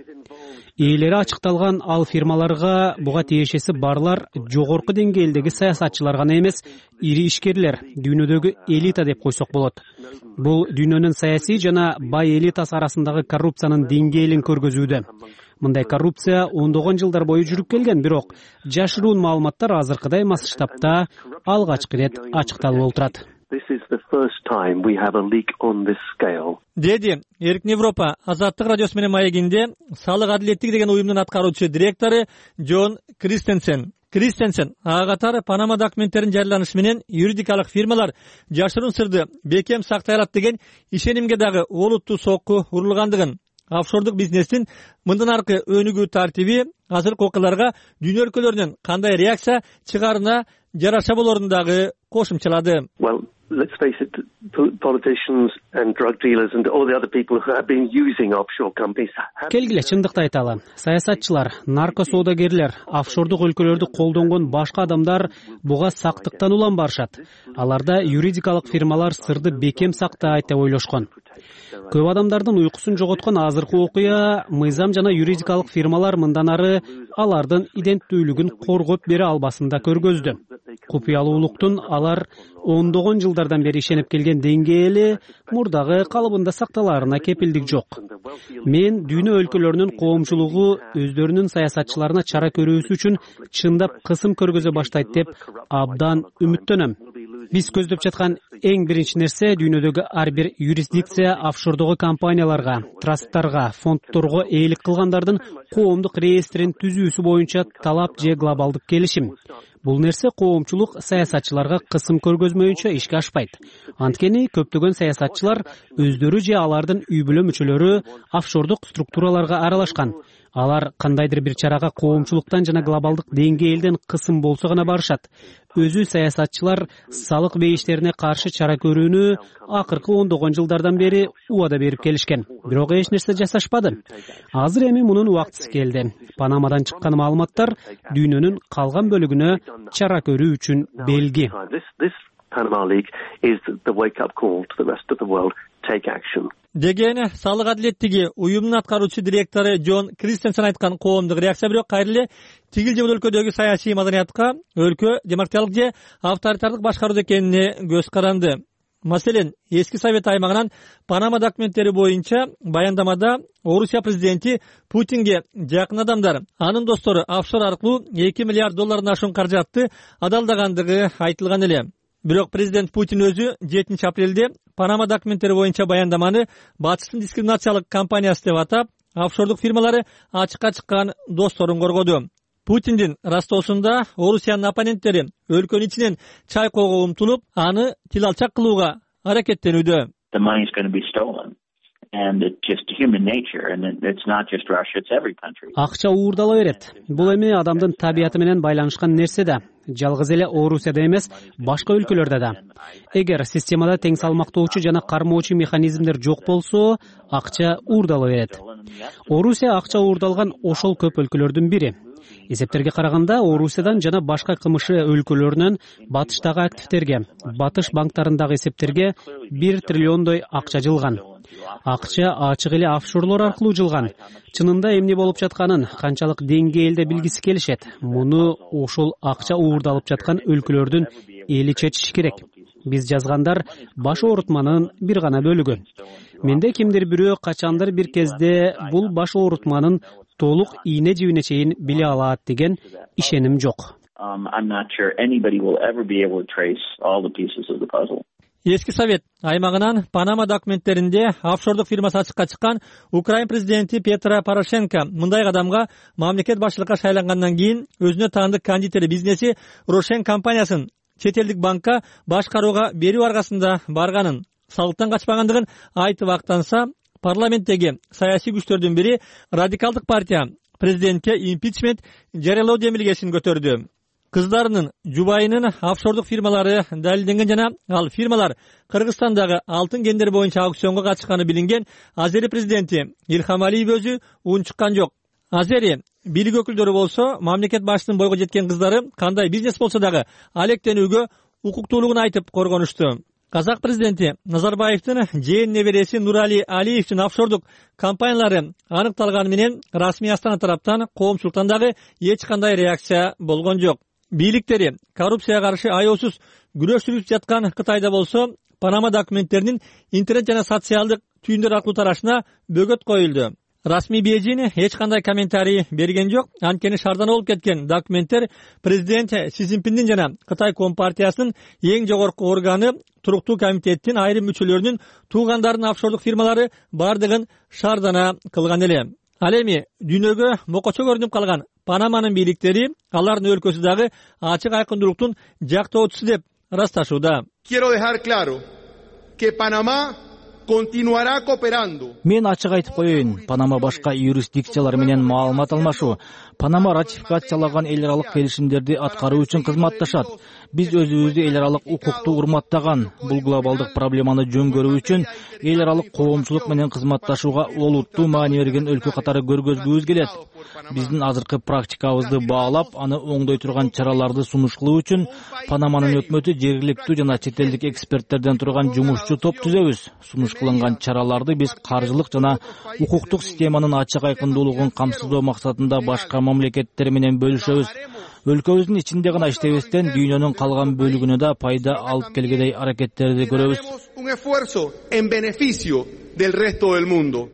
Ээлери ачыкталган ал фирмаларга буга тиешеси барлар жогорку деңгээлдеги саясатчылар гана эмес, ири ишкерлер, дүйнөдөгү элита деп койсок болот. Бул дүйнөнүн саясий жана бай элитасы арасындагы коррупциянын деңгээлин көргөзүүдө. Мындай коррупция ондогон жылдар бою жүрүп келген, бирок жашыруун маалыматтар азыркыдай масштабта алгачкы ирет ачыкталып олтурат. Деди Эркин Европа Азаттык радиосу менен маегинде салык адилеттиги деген уюмдун аткаруучу директору Джон Кристенсен ага катары Панама документтеринин жарыяланышы менен юридикалык фирмалар жашыруун сырды бекем сактай алат деген ишенимге дагы олуттуу сокку урулгандыгын, офшордук бизнестин мындан аркы өнүгүү тартиби азыркы окуяларга дүйнө өлкөлөрүнүн кандай реакция чыгаарына жараша болорун дагы кошумчалады. Let's face it, politicians and drug dealers and all the other people who have been using offshore companies. Келгиле, чындыкты айталы. Саясатчылар, нарко соодагерлер, офшордук өлкөлөрдү колдонгон башка адамдар буга сактыктан улам барышат. Аларда юридикалык фирмалар сырды бекем сактайт деп ойлошкон. Көп адамдардын уйкусун жоготкон азыркы окуя мыйзам жана юридикалык фирмалар мындан ары алардын иденттүүлүгүн коргоп бере албасын да көргөздү. Купуялуулуктун алар ондогон жылдардан бери ишенип келген деңгээли мурдагы калыбында сакталаарына кепилдик жок. Мен дүйнө өлкөлөрүнүн коомчулугу өздөрүнүн саясатчыларына чара көрүүсү үчүн чындап кысым көргөзө баштайт деп абдан үмүттөнөм. Биз көздөп жаткан эң биринчи нерсе дүйнөдөгү ар бир юрисдикция офшордогу компанияларга, трасттарга, фонддорго ээлик кылгандардын коомдук реестрин түзүүсү боюнча талап же глобалдык келишим. Бул нерсе коомчулук саясатчыларга кысым көргөзмөйүнчө ишке ашпайт. Анткени көптөгөн саясатчылар өздөрү же алардын үй бүлө мүчөлөрү офшордук структураларга аралашкан. Алар кандайдыр бир чарага коомчулуктан жана глобалдык деңгээлден кысым болсо гана барышат. Өзү саясатчылар салык бейиштерине каршы чара көрүүнү акыркы ондогон жылдардан бери убада берип келишкен. Бирок эч нерсе жасашпады. Азыр эми мунун убактысы келди. Панамадан чыккан маалыматтар дүйнөнүн калган бөлүгүнө чара көрүү үчүн белги. Деген салык адилеттиги уюмунун аткаруучу директору Джон Кристенсен айткан коомдук реакция. Бирок кайра эле тигил же бул өлкөдөгү саясий маданиятка өлкө демократиялык же авторитардык башкаруу экенине көз каранды. Маселен, эски Совет аймагынан Панама документтери боюнча баяндамада Орусия президенти Путинге жакын адамдар, анын достору офшор аркылуу $2 миллиард ашуун каражатты адалдагандыгы айтылган эле. Бирок президент Путин өзү 7 апрелде Панама документтери боюнча баяндаманы батыштын дискриминациялык кампаниясы деп атап, офшордук фирмалары ачыкка чыккан досторун коргоду. Путиндин растоосунда Орусиянын оппоненттери өлкөнүн ичинен чайкоого умтулуп, аны тил алчак кылууга аракеттенүүдө. Акча уурдала берет. Бул эми адамдын табияты менен байланышкан нерсе да. Жалгыз эле Орусияда эмес, башка өлкөлөрдө да. Эгер системада тең салмактоочу жана кармоочу механизмдер жок болсо, акча уурдала берет. Орусия акча уурдалган ошол көп өлкөлөрдүн бири. Эсептерге караганда Орусиядан жана башка кымышы өлкөлөрүнөн батыштагы активтерге, батыш банктарындагы эсептерге 1 триллиондой акча жылган. Акча ачык эле офшорлор аркылуу жылган. Чынында эмне болуп жатканын канчалык деңгээлде билгиси келишет. Муну ошол акча уурдалып жаткан өлкөлөрдүн эли чечиши керек. Биз жазгандар баш оорутманын бир гана бөлүгү. Менде кимдир бирөө качандыр бир кезде бул баш оорутманын толук ийне жибине чейин биле алат деген ишеним жок. Эски Совет аймагынан Панама документтеринде офшордук фирмасы ачыкка чыккан Украин президенти Петро Порошенко мындай кадамга мамлекет башчылыкка шайлангандан кийин өзүнө таандык кондитер бизнеси Рошен компаниясын чет элдик банкка башкарууга берүү аркасында барганын, салыктан качпагандыгын айтып актанса, парламенттеги саясий күчтөрдүн бири радикалдык партия президентке импичмент жарыялоо демилгесин көтөрдү. Кыздарынын жубайынын офшордук фирмалары далилденген жана ал фирмалар Кыргызстандагы алтын кендери боюнча аукционго катышканы билинген Азери президенти Илхам Алиев өзү унчуккан жок. Азери бийлик өкүлдөрү болсо мамлекет башчысынын бойго жеткен кыздары кандай бизнес болсо дагы алектенүүгө укуктуулугун айтып коргонушту. Казак президенти Назарбаевдин жээн небереси Нурали Алиевдин офшордук компаниялары аныкталганы менен расмий Астана тараптан коомчулуктан дагы эч кандай реакция болгон жок. Бийликтери коррупцияга каршы аяосуз күрөш жүргүзүп жаткан Кытайда болсо Панама документтеринин интернет жана социалдык түйүндөр аркылуу тарашына бөгөт коюлду. Расмий Бейжин эч кандай комментарий берген жок. Анткени шаардан болуп кеткен документтер президент Си Цзиньпиндин жана Кытай Компартиясынын эң жогорку органы туруктуу комитеттин айрым мүчөлөрүнүн туугандарынын офшордук фирмалары бардыгын шаардана кылган эле. Ал эми дүйнөгө мокочо көрүнүп калган Панаманын бийликтери алардын өлкөсү дагы ачык айкындуулуктун жактоочусу деп ырасташууда. Quiero dejar claro que Panamá continuará cooperando. Мен ачык айтып коеюн, Панама башка юрисдикциялар менен маалымат алмашуу, Панама ратификациялаган эл аралык келишимдерди аткаруу үчүн кызматташат. Биз өзүбүздү эл аралык укукту урматтаган, бул глобалдык проблеманы жөн көрүү үчүн эл аралык коомчулук менен кызматташууга олуттуу маани берген өлкө катары көргөзгүбүз келет. Биздин азыркы практикабызды баалап, аны оңдой турган чараларды сунуш кылуу үчүн Панаманын өкмөтү жергиликтүү жана чет элдик эксперттерден турган жумушчу топ түзөбүз. Сунуш кылынган чараларды биз каржылык жана укуктук системанын ачык айкындуулугун камсыздоо максатында башка мамлекеттер менен бөлүшөбүз. Өлкөбүздүн ичинде гана иштебестен дүйнөнүн калган бөлүгүнө да пайда алып келгедей аракеттерди көрөбүз.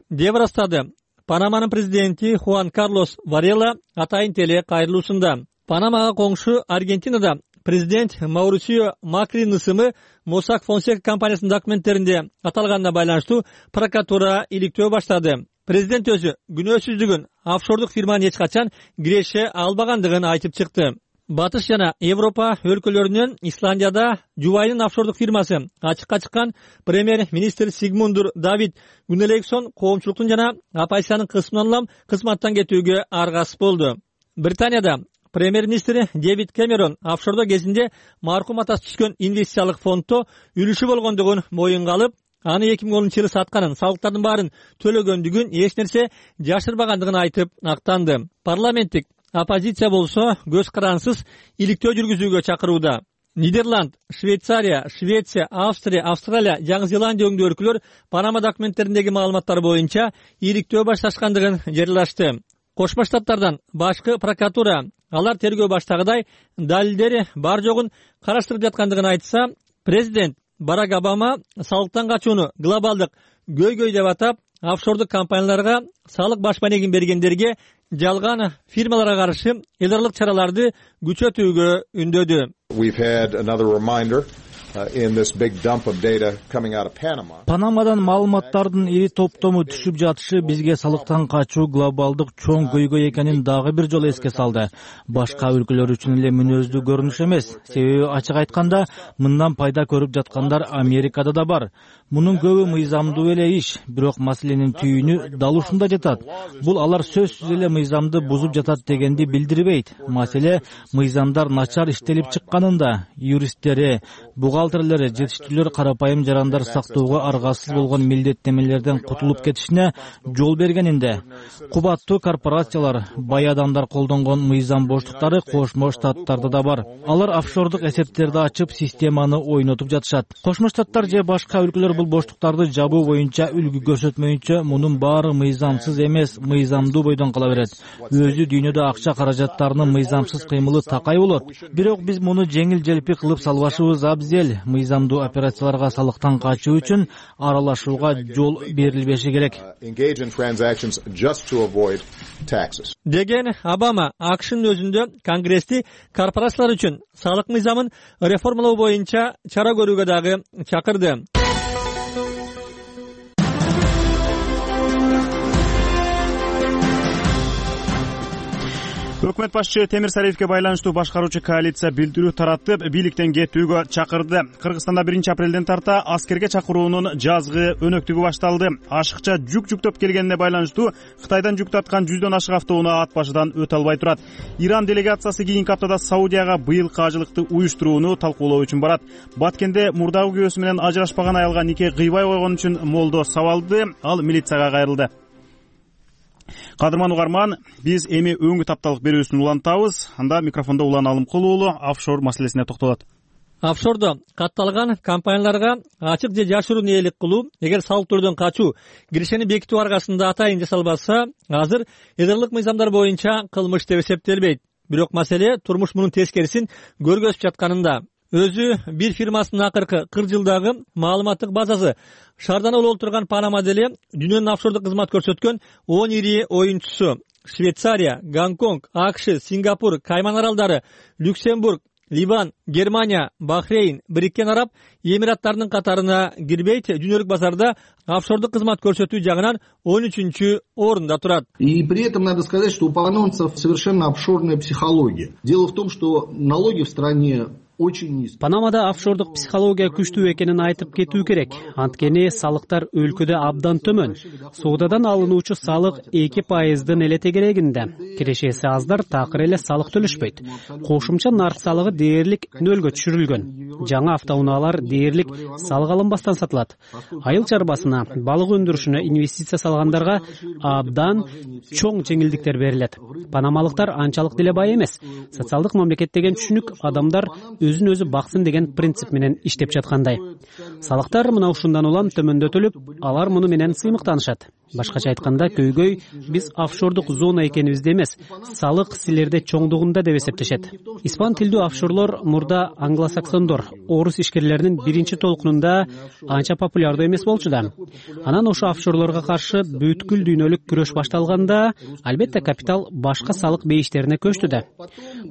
Деп ырастады Панаманын президенти Хуан Карлос Варела атайын теле кайрылуусунда. Панамага коңшу Аргентинада президент Маурисио Макринин ысымы Mossack Fonseca компаниясынын документтеринде аталганына байланыштуу прокуратура иликтөө баштады. Президент өзү күнөөсүздүгүн офшордук фирманын эч качан киреше албагандыгын айтып чыкты. Батыш жана Европа өлкөлөрүнөн Исландияда Жубайнын офшордук фирмасы ачыкка чыккан премьер-министр Сигмунdur Давид Гуннелейксон коомчулуктун жана оппозициянын кысмынан улам кызматтан кетүүгө аргасыз болду. Британияда премьер-министр Дэвид Кэмерон офшордо кезинде маркум атасы түшкөн инвестициялык фонддо үлүшү болгондугун моюнга алып, аны 2010-жылы сатканын, салыктардын баарын төлөгөндүгүн, эч нерсе жашырбагандыгын айтып актанды. Парламенттик оппозиция болсо көз карансыз иликтөө жүргүзүүгө чакырууда. Нидерланд, Швейцария, Швеция, Австрия, Австралия, Жаңы Зеландия өңдүү өлкөлөр Панама документтериндеги маалыматтар боюнча иликтөө башташкандыгын жарыялашты. Кошмо Штаттардан башкы прокуратура алар тергөө баштагыдай далилдери бар жогун караштырып жаткандыгын айтса, президент Барак Обама салыктан качууну глобалдык көйгөй деп атап, офшордук компанияларга салык баш маанегин бергендерге жалган фирмаларга каршы эл аралык чараларды күчөтүүгө үндөдү. Панамадан маалыматтардын ири топтому түшүп жатышы бизге салыктан качуу глобалдык чоң көйгөй экенин дагы бир жолу эске салды. Башка өлкөлөр үчүн эле мүнөздүү көрүнүш эмес. Себеби ачык айтканда, мындан пайда көрүп жаткандар Америкада да бар. Мунун көбү мыйзамдуу эле иш, бирок маселенин түйүнү дал ушунда жатат. Бул алар сөзсүз эле мыйзамды бузуп жатат дегенди билдирбейт. Маселе мыйзамдар начар иштелип чыкканында, юристтери, бухгалтерлери, жетиштүүлөр карапайым жарандар сактоого аргасыз болгон милдеттемелерден кутулуп кетишине жол бергенинде. Кубаттуу корпорациялар, бай адамдар колдонгон мыйзам боштуктары Кошмо Штаттарда да бар. Алар офшордук эсептерди ачып, системаны ойнотуп жатышат. Кошмо Штаттар же башка өлкөлөр бул боштуктарды жабуу боюнча үлгү көрсөтмөйүнчө мунун баары мыйзамсыз эмес, мыйзамдуу бойдон кала берет. Өзү дүйнөдө акча каражаттарынын мыйзамсыз кыймылы такай болот. Бирок биз муну жеңил-желпи кылып салбашыбыз абзел. Мыйзамдуу операцияларга салыктан качуу үчүн аралашууга жол берилбеши керек. Деген Обама АКШнын өзүндө Конгрессти корпорациялар үчүн салык мыйзамын реформалоо боюнча чара көрүүгө дагы чакырды. Өкмөт башчы Темир Сариевке байланыштуу башкаруучу коалиция билдирүү таратып, бийликтен кетүүгө чакырды. Кыргызстанда 1-апрелден тарта аскерге чакыруунун жазгы өнөктүгү башталды. Ашыкча жүк жүктөп келгенине байланыштуу Кытайдан жүк тарткан 100дөн ашык автоунаа ат башыдан өтө албай турат. Иран делегациясы кийинки аптада Саудияга быйылкы ажылыкты уюштурууну талкуулоо үчүн барат. Баткенде мурдагы күйөөсү менен ажырашпаган аялга нике кыйбай койгон үчүн молдо сабалды, ал милицияга кайрылды. Кадырман угарман, биз эми өңгү тапталык берүүсүн улантабыз. Анда микрофондо Улан Алымкул уулу офшор маселесине токтолот. Офшордо катталган компанияларга ачык же жашыруун ээлик кылуу, эгер салык төлөөдөн качуу кирешени бекитүү аркасында атайын жасалбаса, азыр эл аралык мыйзамдар боюнча кылмыш деп эсептелбейт. Бирок маселе турмуш мунун тескерисин көргөзүп жатканында. Өзү бир фирмасынын акыркы 40 жылдагы маалыматтык базасы шаардан олол турган Панама деле дүйнөнүн офшордук кызмат көрсөткөн 10 ири оюнчусу. Швейцария, Гонконг, АКШ, Сингапур, Кайман аралдары, Люксембург, Ливан, Германия, Бахрейн, Бириккен Араб Эмираттарынын катарына кирбейт, дүйнөлүк базарда офшордук кызмат көрсөтүү жагынан 13-орунда турат. И при этом надо сказать, что у панамцев совершенно офшорная психология. Дело в том, что налоги в стране Панамада офшордук психология күчтүү экенин айтып кетүү керек. Анткени салыктар өлкөдө абдан төмөн. Соодадан алынуучу салык 2%дын эле тегерегинде. Кирешеси аздар такыр эле салык төлөшпөйт. Кошумча нарк салыгы дээрлик нөлгө түшүрүлгөн. Жаңа автоунаалар дээрлик салык алынбастан сатылат. Айыл чарбасына, балык өндүрүшүнө инвестиция салгандарга абдан чоң жеңилдиктер берилет. Панамалыктар анчалык деле бай эмес. Социалдык мамлекет деген түшүнүк адамдар өзүн өзү баксын деген принцип менен иштеп жаткандай. Салыктар мына ушундан улам төмөндөтүлүп, алар муну менен сыймыктанышат. Башкача айтканда, көйгөй биз офшордук зона экенибизде эмес, салык силерде чоңдугунда деп эсептешет. Испан тилдүү офшорлор мурда англосаксондор, орус ишкерлеринин биринчи толкунунда анча популярдуу эмес болчу да. Анан ошо офшорлорго каршы бүткүл дүйнөлүк күрөш башталганда, албетте капитал башка салык бейиштерине көчтү да.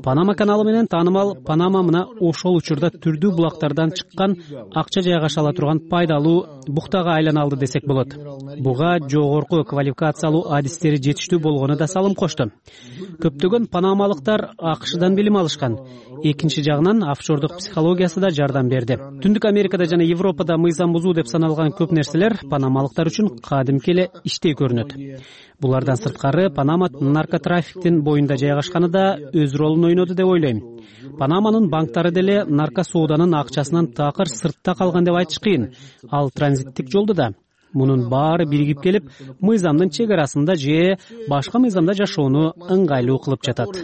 Панама каналы менен таанымал Панама мына ошол учурда түрдүү булактардан чыккан акча жайгаша ала турган пайдалуу буктага айлана алды десек болот. Буга жогорку квалификациялуу адистери жетиштүү болгону да салым кошту. Көптөгөн панамалыктар АКШдан билим алышкан. Экинчи жагынан офшордук психологиясы да жардам берди. Түндүк Америкада жана Европада мыйзам бузуу деп саналган көп нерселер панамалыктар үчүн кадимки эле иштей көрүнөт. Булардан сырткары Панама наркотрафиктин боюнда жайгашканы да өз ролун ойноду деп ойлойм. Панаманын банктары деле наркосооданын акчасынан такыр сыртта калган деп айтыш кыйын. Ал транзиттик жолду да. Мунун баары биригип келип, мыйзамдын чек арасында же башка мыйзамда жашоону ыңгайлуу кылып жатат.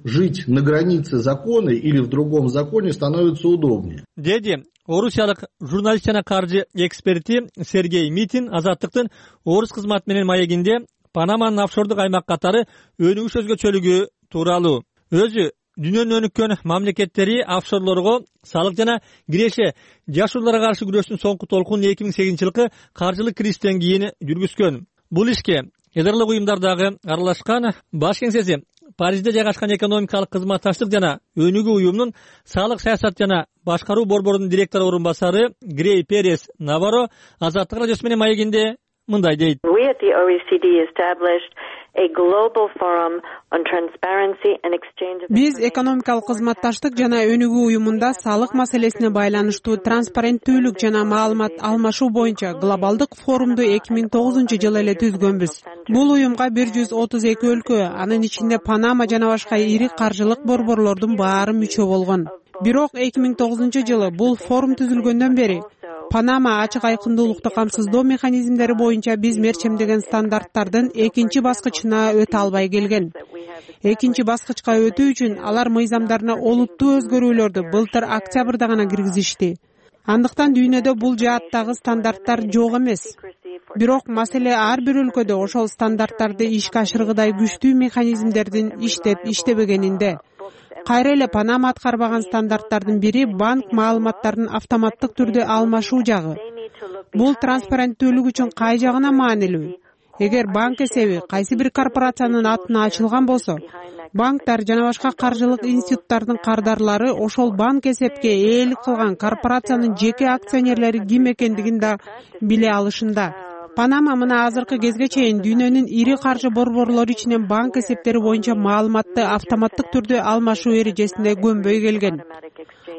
Жить на границе закона или в другом законе становится удобнее. Деди орусиялык журналист жана каржы эксперти Сергей Митин Азаттыктын орус кызматы менен маегинде Панаманын офшордук аймак катары өнүгүш өзгөчөлүгү тууралуу өзү дүйнөнүн өнүккөн мамлекеттери офшорлорго салык жана киреше жашоолорго каршы күрөштүн соңку толкунун 2008-жылкы каржылык кризистен кийин жүргүзгөн. Бул ишке эдерлик уюмдардагы аралашкан баш кеңсеси Парижде жайгашкан экономикалык кызматташтык жана өнүгүү уюмунун салык саясат жана башкаруу борборунун директор орун басары Грей Перес Наваро Азаттык радиосу менен маегинде мындай дейт. Биз экономикалык кызматташтык жана өнүгүү уюмунда салык маселесине байланыштуу транспаренттүүлүк жана маалымат алмашуу боюнча глобалдык форумду 2009-жылы эле түзгөнбүз. Бул уюмга 132 өлкө, анын ичинде Панама жана башка ири каржылык борборлордун баары мүчө болгон. Бирок 2009-жылы бул форум түзүлгөндөн бери Панама ачык айкындуулукту камсыздоо механизмдери боюнча биз мерчемдеген стандарттардын экинчи баскычына өтө албай келген. Экинчи баскычка өтүү үчүн алар мыйзамдарына олуттуу өзгөрүүлөрдү былтыр октябрда гана киргизишти. Андыктан дүйнөдө бул жааттагы стандарттар жок эмес. Бирок маселе ар бир өлкөдө ошол стандарттарды ишке ашыргыдай күчтүү механизмдердин иштеп-иштебегенинде. Кайра эле Панама аткарбаган стандарттардын бири банк маалыматтарын автоматтык түрдө алмашуу жагы. Бул транспаренттүүлүк үчүн кай жагына маанилүү? Эгер банк эсеби кайсы бир корпорациянын атына ачылган болсо, банктар жана башка каржылык институттардын кардарлары ошол банк эсепке ээлик кылган корпорациянын жеке акционерлери ким экендигин да биле алышында. Панама мына азыркы кезге чейин дүйнөнүн ири каржы борборлору ичинен банк эсептери боюнча маалыматты автоматтык түрдө алмашуу эрежесине көнбөй келген.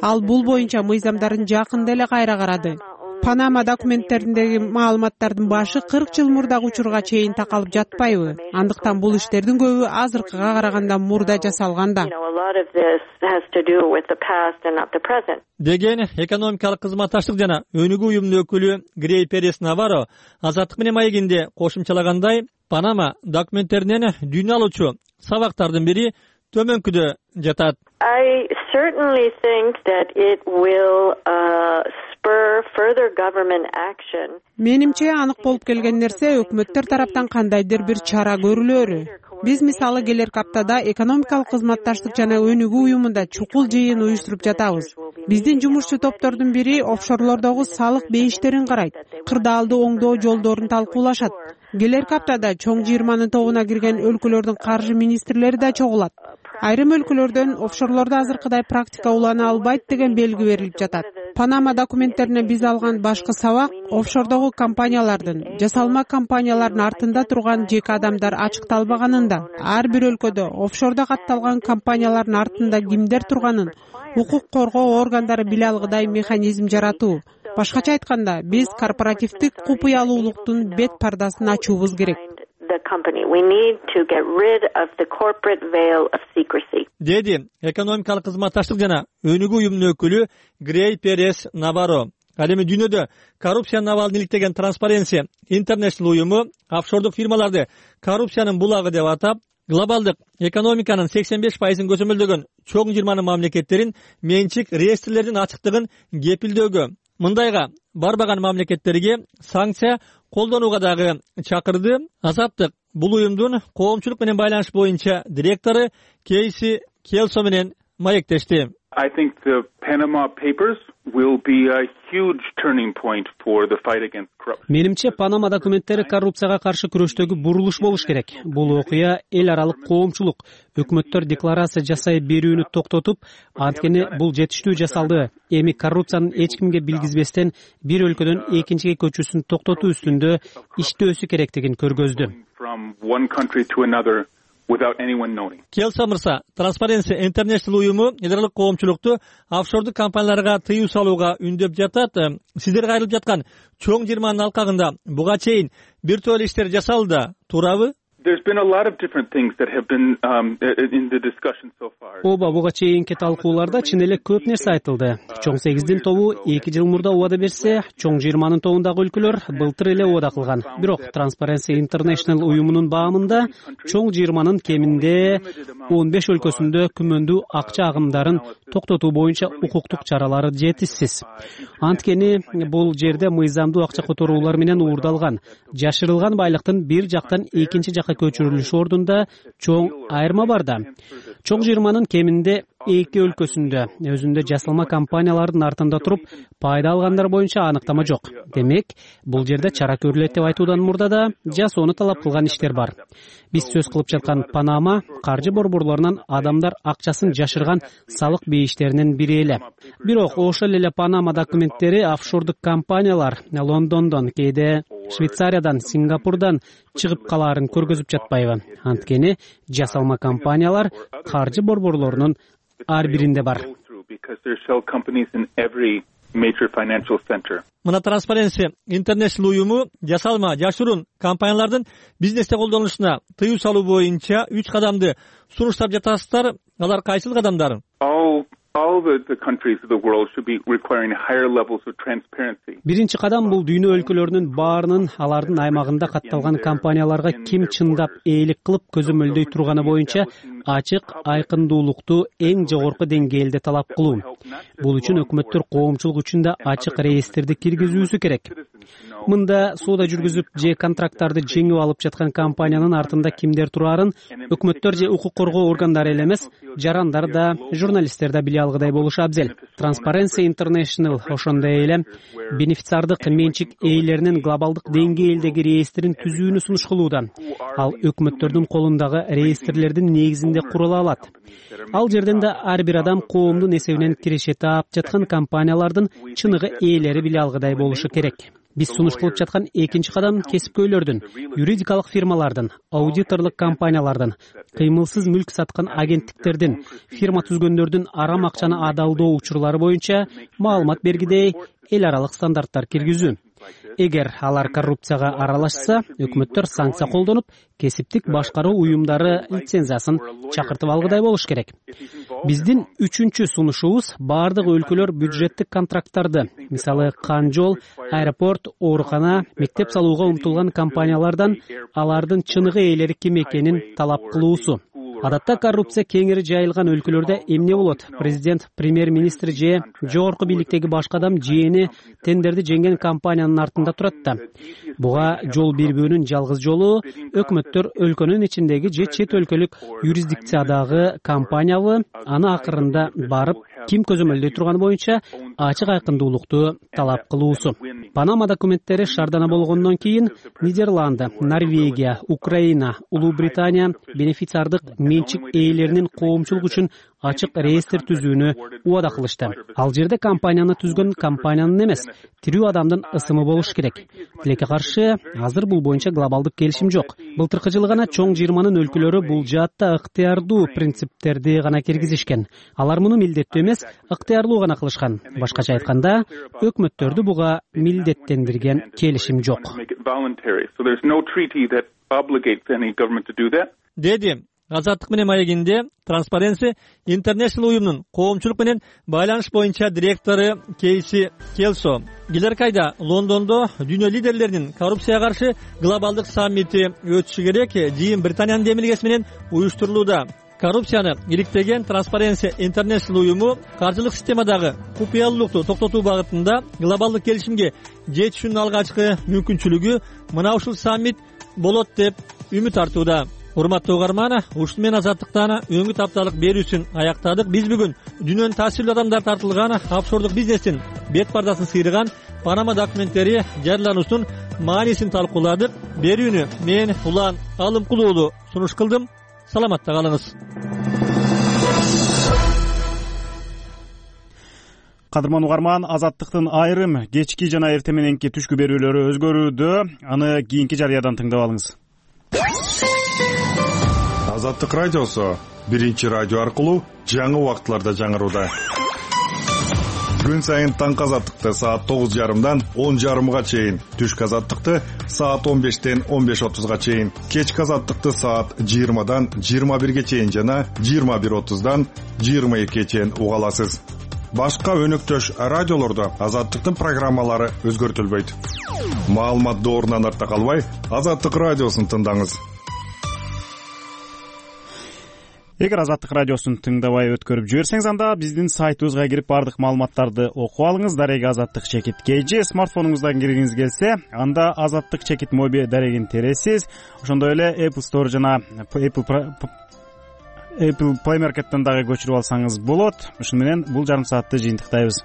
Ал бул боюнча мыйзамдарын жакында эле кайра карады. Панама документтериндеги маалыматтардын башы 40 жыл мурдагы учурга чейин такалып жатпайбы? Андыктан бул иштердин көбү азыркыга караганда мурда жасалган да. Деген экономикалык кызматташтык жана өнүгүү уюмунун өкүлү Грей Перес Наваро Азаттык менен маегинде кошумчалагандай, Панама документтеринен дүйнө алуучу сабактардын бири төмөнкүдө жатат. I certainly think that it will spur further government action. Менимче анык болуп келген нерсе өкмөттөр тараптан кандайдыр бир чара көрүлөрү. Биз мисалы келерки аптада экономикалык кызматташтык жана өнүгүү уюмунда чукул жыйын уюштуруп жатабыз. Биздин жумушчу топтордун бири офшорлордогу салык бейиштерин карайт, кырдаалды оңдоо жолдорун талкуулашат. Келерки аптада чоң 20-нын тобуна кирген өлкөлөрдүн каржы министрлери да чогулат. Айрым өлкөлөрдөн офшорлордо азыркыдай практика улана албайт деген белги берилип жатат. Панама документтерине биз алган башкы сабак офшордогу компаниялардын, жасалма компаниялардын артында турган жеке адамдар ачыкталбаганында, ар бир өлкөдө офшордо катталган компаниялардын артында кимдер турганын укук коргоо органдары биле алгыдай механизм жаратуу. Башкача айтканда, биз корпоративдик купуялуулуктун бет пардасын ачуубуз керек. Деди экономикалык кызматташтык жана өнүгүү уюмунун өкүлү Грей Перес Наваро. Ал эми дүйнөдө коррупциянын абалын иликтеген Transparency International уюму офшордук фирмаларды коррупциянын булагы деп атап, глобалдык экономиканын 85%-ын көзөмөлдөгөн чоң 20 мамлекеттерин менчик реестрлердин ачыктыгын кепилдөөгө, мындайга барбаган мамлекеттерге санкция колдонууга дагы чакырды. Азаттык бул уюмдун коомчулук менен байланыш боюнча директору Кейси Келсо менен маектешти. I think the Panama Papers will be a huge turning point for the fight against corruption. Менимче Панама документтери коррупцияга каршы күрөштөгү бурулуш болуш керек. Бул окуя эл аралык коомчулук өкмөттөр декларация жасай берүүнү токтотуп, анткени бул жетиштүү жасалды. Эми коррупциянын эч кимге билгизбестен бир өлкөдөн экинчиге көчүүсүн токтотуу үстүндө иштөөсү керектигин көргөздү. From one country to another without anyone knowing. Келса мырса, Transparency International уюму эл аралык коомчулукту офшордук компанияларга тыюу салууга үндөп жатат. Сиздерге айрылып жаткан чоң 20 алкагында буга чейин бир топ иштер жасалды, туурабы? There's been a lot of different things that have been in the discussion so far. Оба буга чейинки талкууларда чын эле көп нерсе айтылды. Чоң 8-дин тобу 2 жыл мурда убада берсе, чоң 20-нын тобундагы өлкөлөр былтыр эле убада кылган. Бирок Transparency International уюмунун баамында чоң 20-нын кеминде 15 өлкөсүндө күмөндүү акча агымдарын токтотуу боюнча укуктук чаралары жетишсиз. Анткени бул жерде мыйзамдуу акча которуулар менен уурдалган, жашырылган байлыктын бир жактан экинчи жакка көчүрүлүшү ордунда чоң айырма бар да. Чоң 20-нын кеминде 2 өлкөсүндө өзүндө жасалма компаниялардын артында туруп пайда алгандар боюнча аныктама жок. Демек, бул жерде чара көрүлөт деп айтуудан мурда да жасоону талап кылган иштер бар. Биз сөз кылып жаткан Панама каржы борборлорунан адамдар акчасын жашырган салык бейиштеринин бири эле. Бирок ошол эле Панама документтери офшордук компаниялар Лондондон, кээде Швейцариядан, Сингапурдан чыгып калаарын көргөзүп жатпайбы? Анткени жасалма компаниялар каржы борборлорунун ар биринде бар. Мына Transparency International уюму жасалма жашыруун компаниялардын бизнесте колдонулушуна тыюу салуу боюнча 3 кадамды сунуштап жатасыздар. Алар кайсыл кадамдар? All the countries of the world should be requiring higher levels of transparency. Биринчи кадам бул дүйнө өлкөлөрүнүн баарынын алардын аймагында катталган компанияларга ким чындап ээлик кылып көзөмөлдөй турганы боюнча ачык айкындуулукту эң жогорку деңгээлде талап кылуу. Бул үчүн өкмөттөр коомчулук үчүн да ачык реестрди киргизүүсү керек. Мында соода жүргүзүп же контракттарды жеңип алып жаткан компаниянын артында кимдер турарын өкмөттөр же укук коргоо органдары эле эмес, жарандар да, журналисттер да биле алгыдай болушу абзел. Transparency International ошондой эле бенефициардык менчик ээлеринин глобалдык деңгээлдеги реестрин түзүүнү сунуш кылууда. Ал өкмөттөрдүн колундагы реестрлердин негизинде курула алат. Ал жерден да ар бир адам коомдун эсебинен киреше таап жаткан компаниялардын чыныгы ээлери биле алгыдай болушу керек. Биз сунуш кылып жаткан экинчи кадам кесипкөйлөрдүн, юридикалык фирмалардын, аудиторлук компаниялардын, кыймылсыз мүлк саткан агенттиктердин, фирма түзгөндөрдүн арам акчаны адалдоо учурлары боюнча маалымат бергидей эл аралык стандарттар киргизүү. Эгер алар коррупцияга аралашса, өкмөттөр санкция колдонуп, кесиптик башкаруу уюмдары лицензиясын чакыртып алгыдай болуш керек. Биздин үчүнчү сунушубуз бардык өлкөлөр бюджеттик контракттарды, мисалы кан жол, аэропорт, оорукана, мектеп салууга умтулган компаниялардан алардын чыныгы ээлери ким экенин талап кылуусу. Адатта коррупция кеңири жайылган өлкөлөрдө эмне болот? Президент, премьер-министр же жогорку бийликтеги башка адам жээни тендерди жеңген компаниянын артында турат да. Буга жол бербөөнүн жалгыз жолу өкмөттөр өлкөнүн ичиндеги же чет өлкөлүк юрисдикциядагы компаниябы аны акырында барып ким көзөмөлдөй турганы боюнча ачык айкындуулукту талап кылуусу. Панама документтери шаардана болгондон кийин Нидерланды, Норвегия, Украина, Улуу Британия бенефициардык менчик ээлеринин коомчулук үчүн ачык реестр түзүүнү убада кылышты. Ал жерде компанияны түзгөн компаниянын эмес, тирүү адамдын ысымы болуш керек. Тилекке каршы, азыр бул боюнча глобалдык келишим жок. Былтыркы жылы гана чоң 20-нын өлкөлөрү бул жаатта ыктыярдуу принциптерди гана киргизишкен. Алар муну милдеттүү эмес, ыктыярлуу гана кылышкан. Башкача айтканда, өкмөттөрдү буга милдеттендирген келишим жок. Деди Азаттык менен маегинде Transparency International уюмунун коомчулук менен байланыш боюнча директору Кейси Келсо. Келер айда Лондондо дүйнө лидерлеринин коррупцияга каршы глобалдык саммити өтүшү керек. Жыйын Британиянын демилгеси менен уюштурулууда. коррупцияны иликтеген Transparency International уюму каржылык системадагы купуялуулукту токтотуу багытында глобалдык келишимге жетишүүнүн алгачкы мүмкүнчүлүгү мына ушул саммит болот деп үмүт артууда. Урматтуу угарман, ушун менен Азаттыктан өңүт апталык берүүсүн аяктадык. Биз бүгүн дүйнөнүн таасирлүү адамдар тартылган офшордук бизнестин бет бардасын сыйрыган Панама документтери жарыялануусунун маанисин талкууладык. Берүүнү мен Улан Алымкул уулу сунуш кылдым. Саламатта калыңыз. Кадырман угарман, Азаттыктын айрым кечки жана эртең мененки түшкү берүүлөрү өзгөрүүдө. Аны кийинки жарыядан тыңдап алыңыз. Азаттык радиосу биринчи радио аркылуу жаңы убакытларда жаңырууда. Күн сайын таңкы Азаттыкты саат 9:30дан 10:30га чейин, түшкү Азаттыкты саат 15-тен 15:30га чейин, кечки Азаттыкты саат 20-дан 21-ге чейин жана 21:30дан 22-ге чейин уга аласыз. Башка өнөктөш радиолордо Азаттыктын программалары өзгөртүлбөйт. Маалымат доорунан артта калбай, Азаттык радиосун тыңдаңыз. Эгер Азаттык радиосун тыңдабай өткөрүп жиберсеңиз, анда биздин сайтыбызга кирип бардык маалыматтарды окуп алыңыз. Дареги Азаттык чекит KG смартфонуңуздан киргиңиз келсе, анда Азаттык чекит моби дарегин тересиз. Ошондой эле Apple Store жана Apple Play Market'тен дагы көчүрүп алсаңыз болот. Ушуну менен бул жарым саатты жыйынтыктайбыз.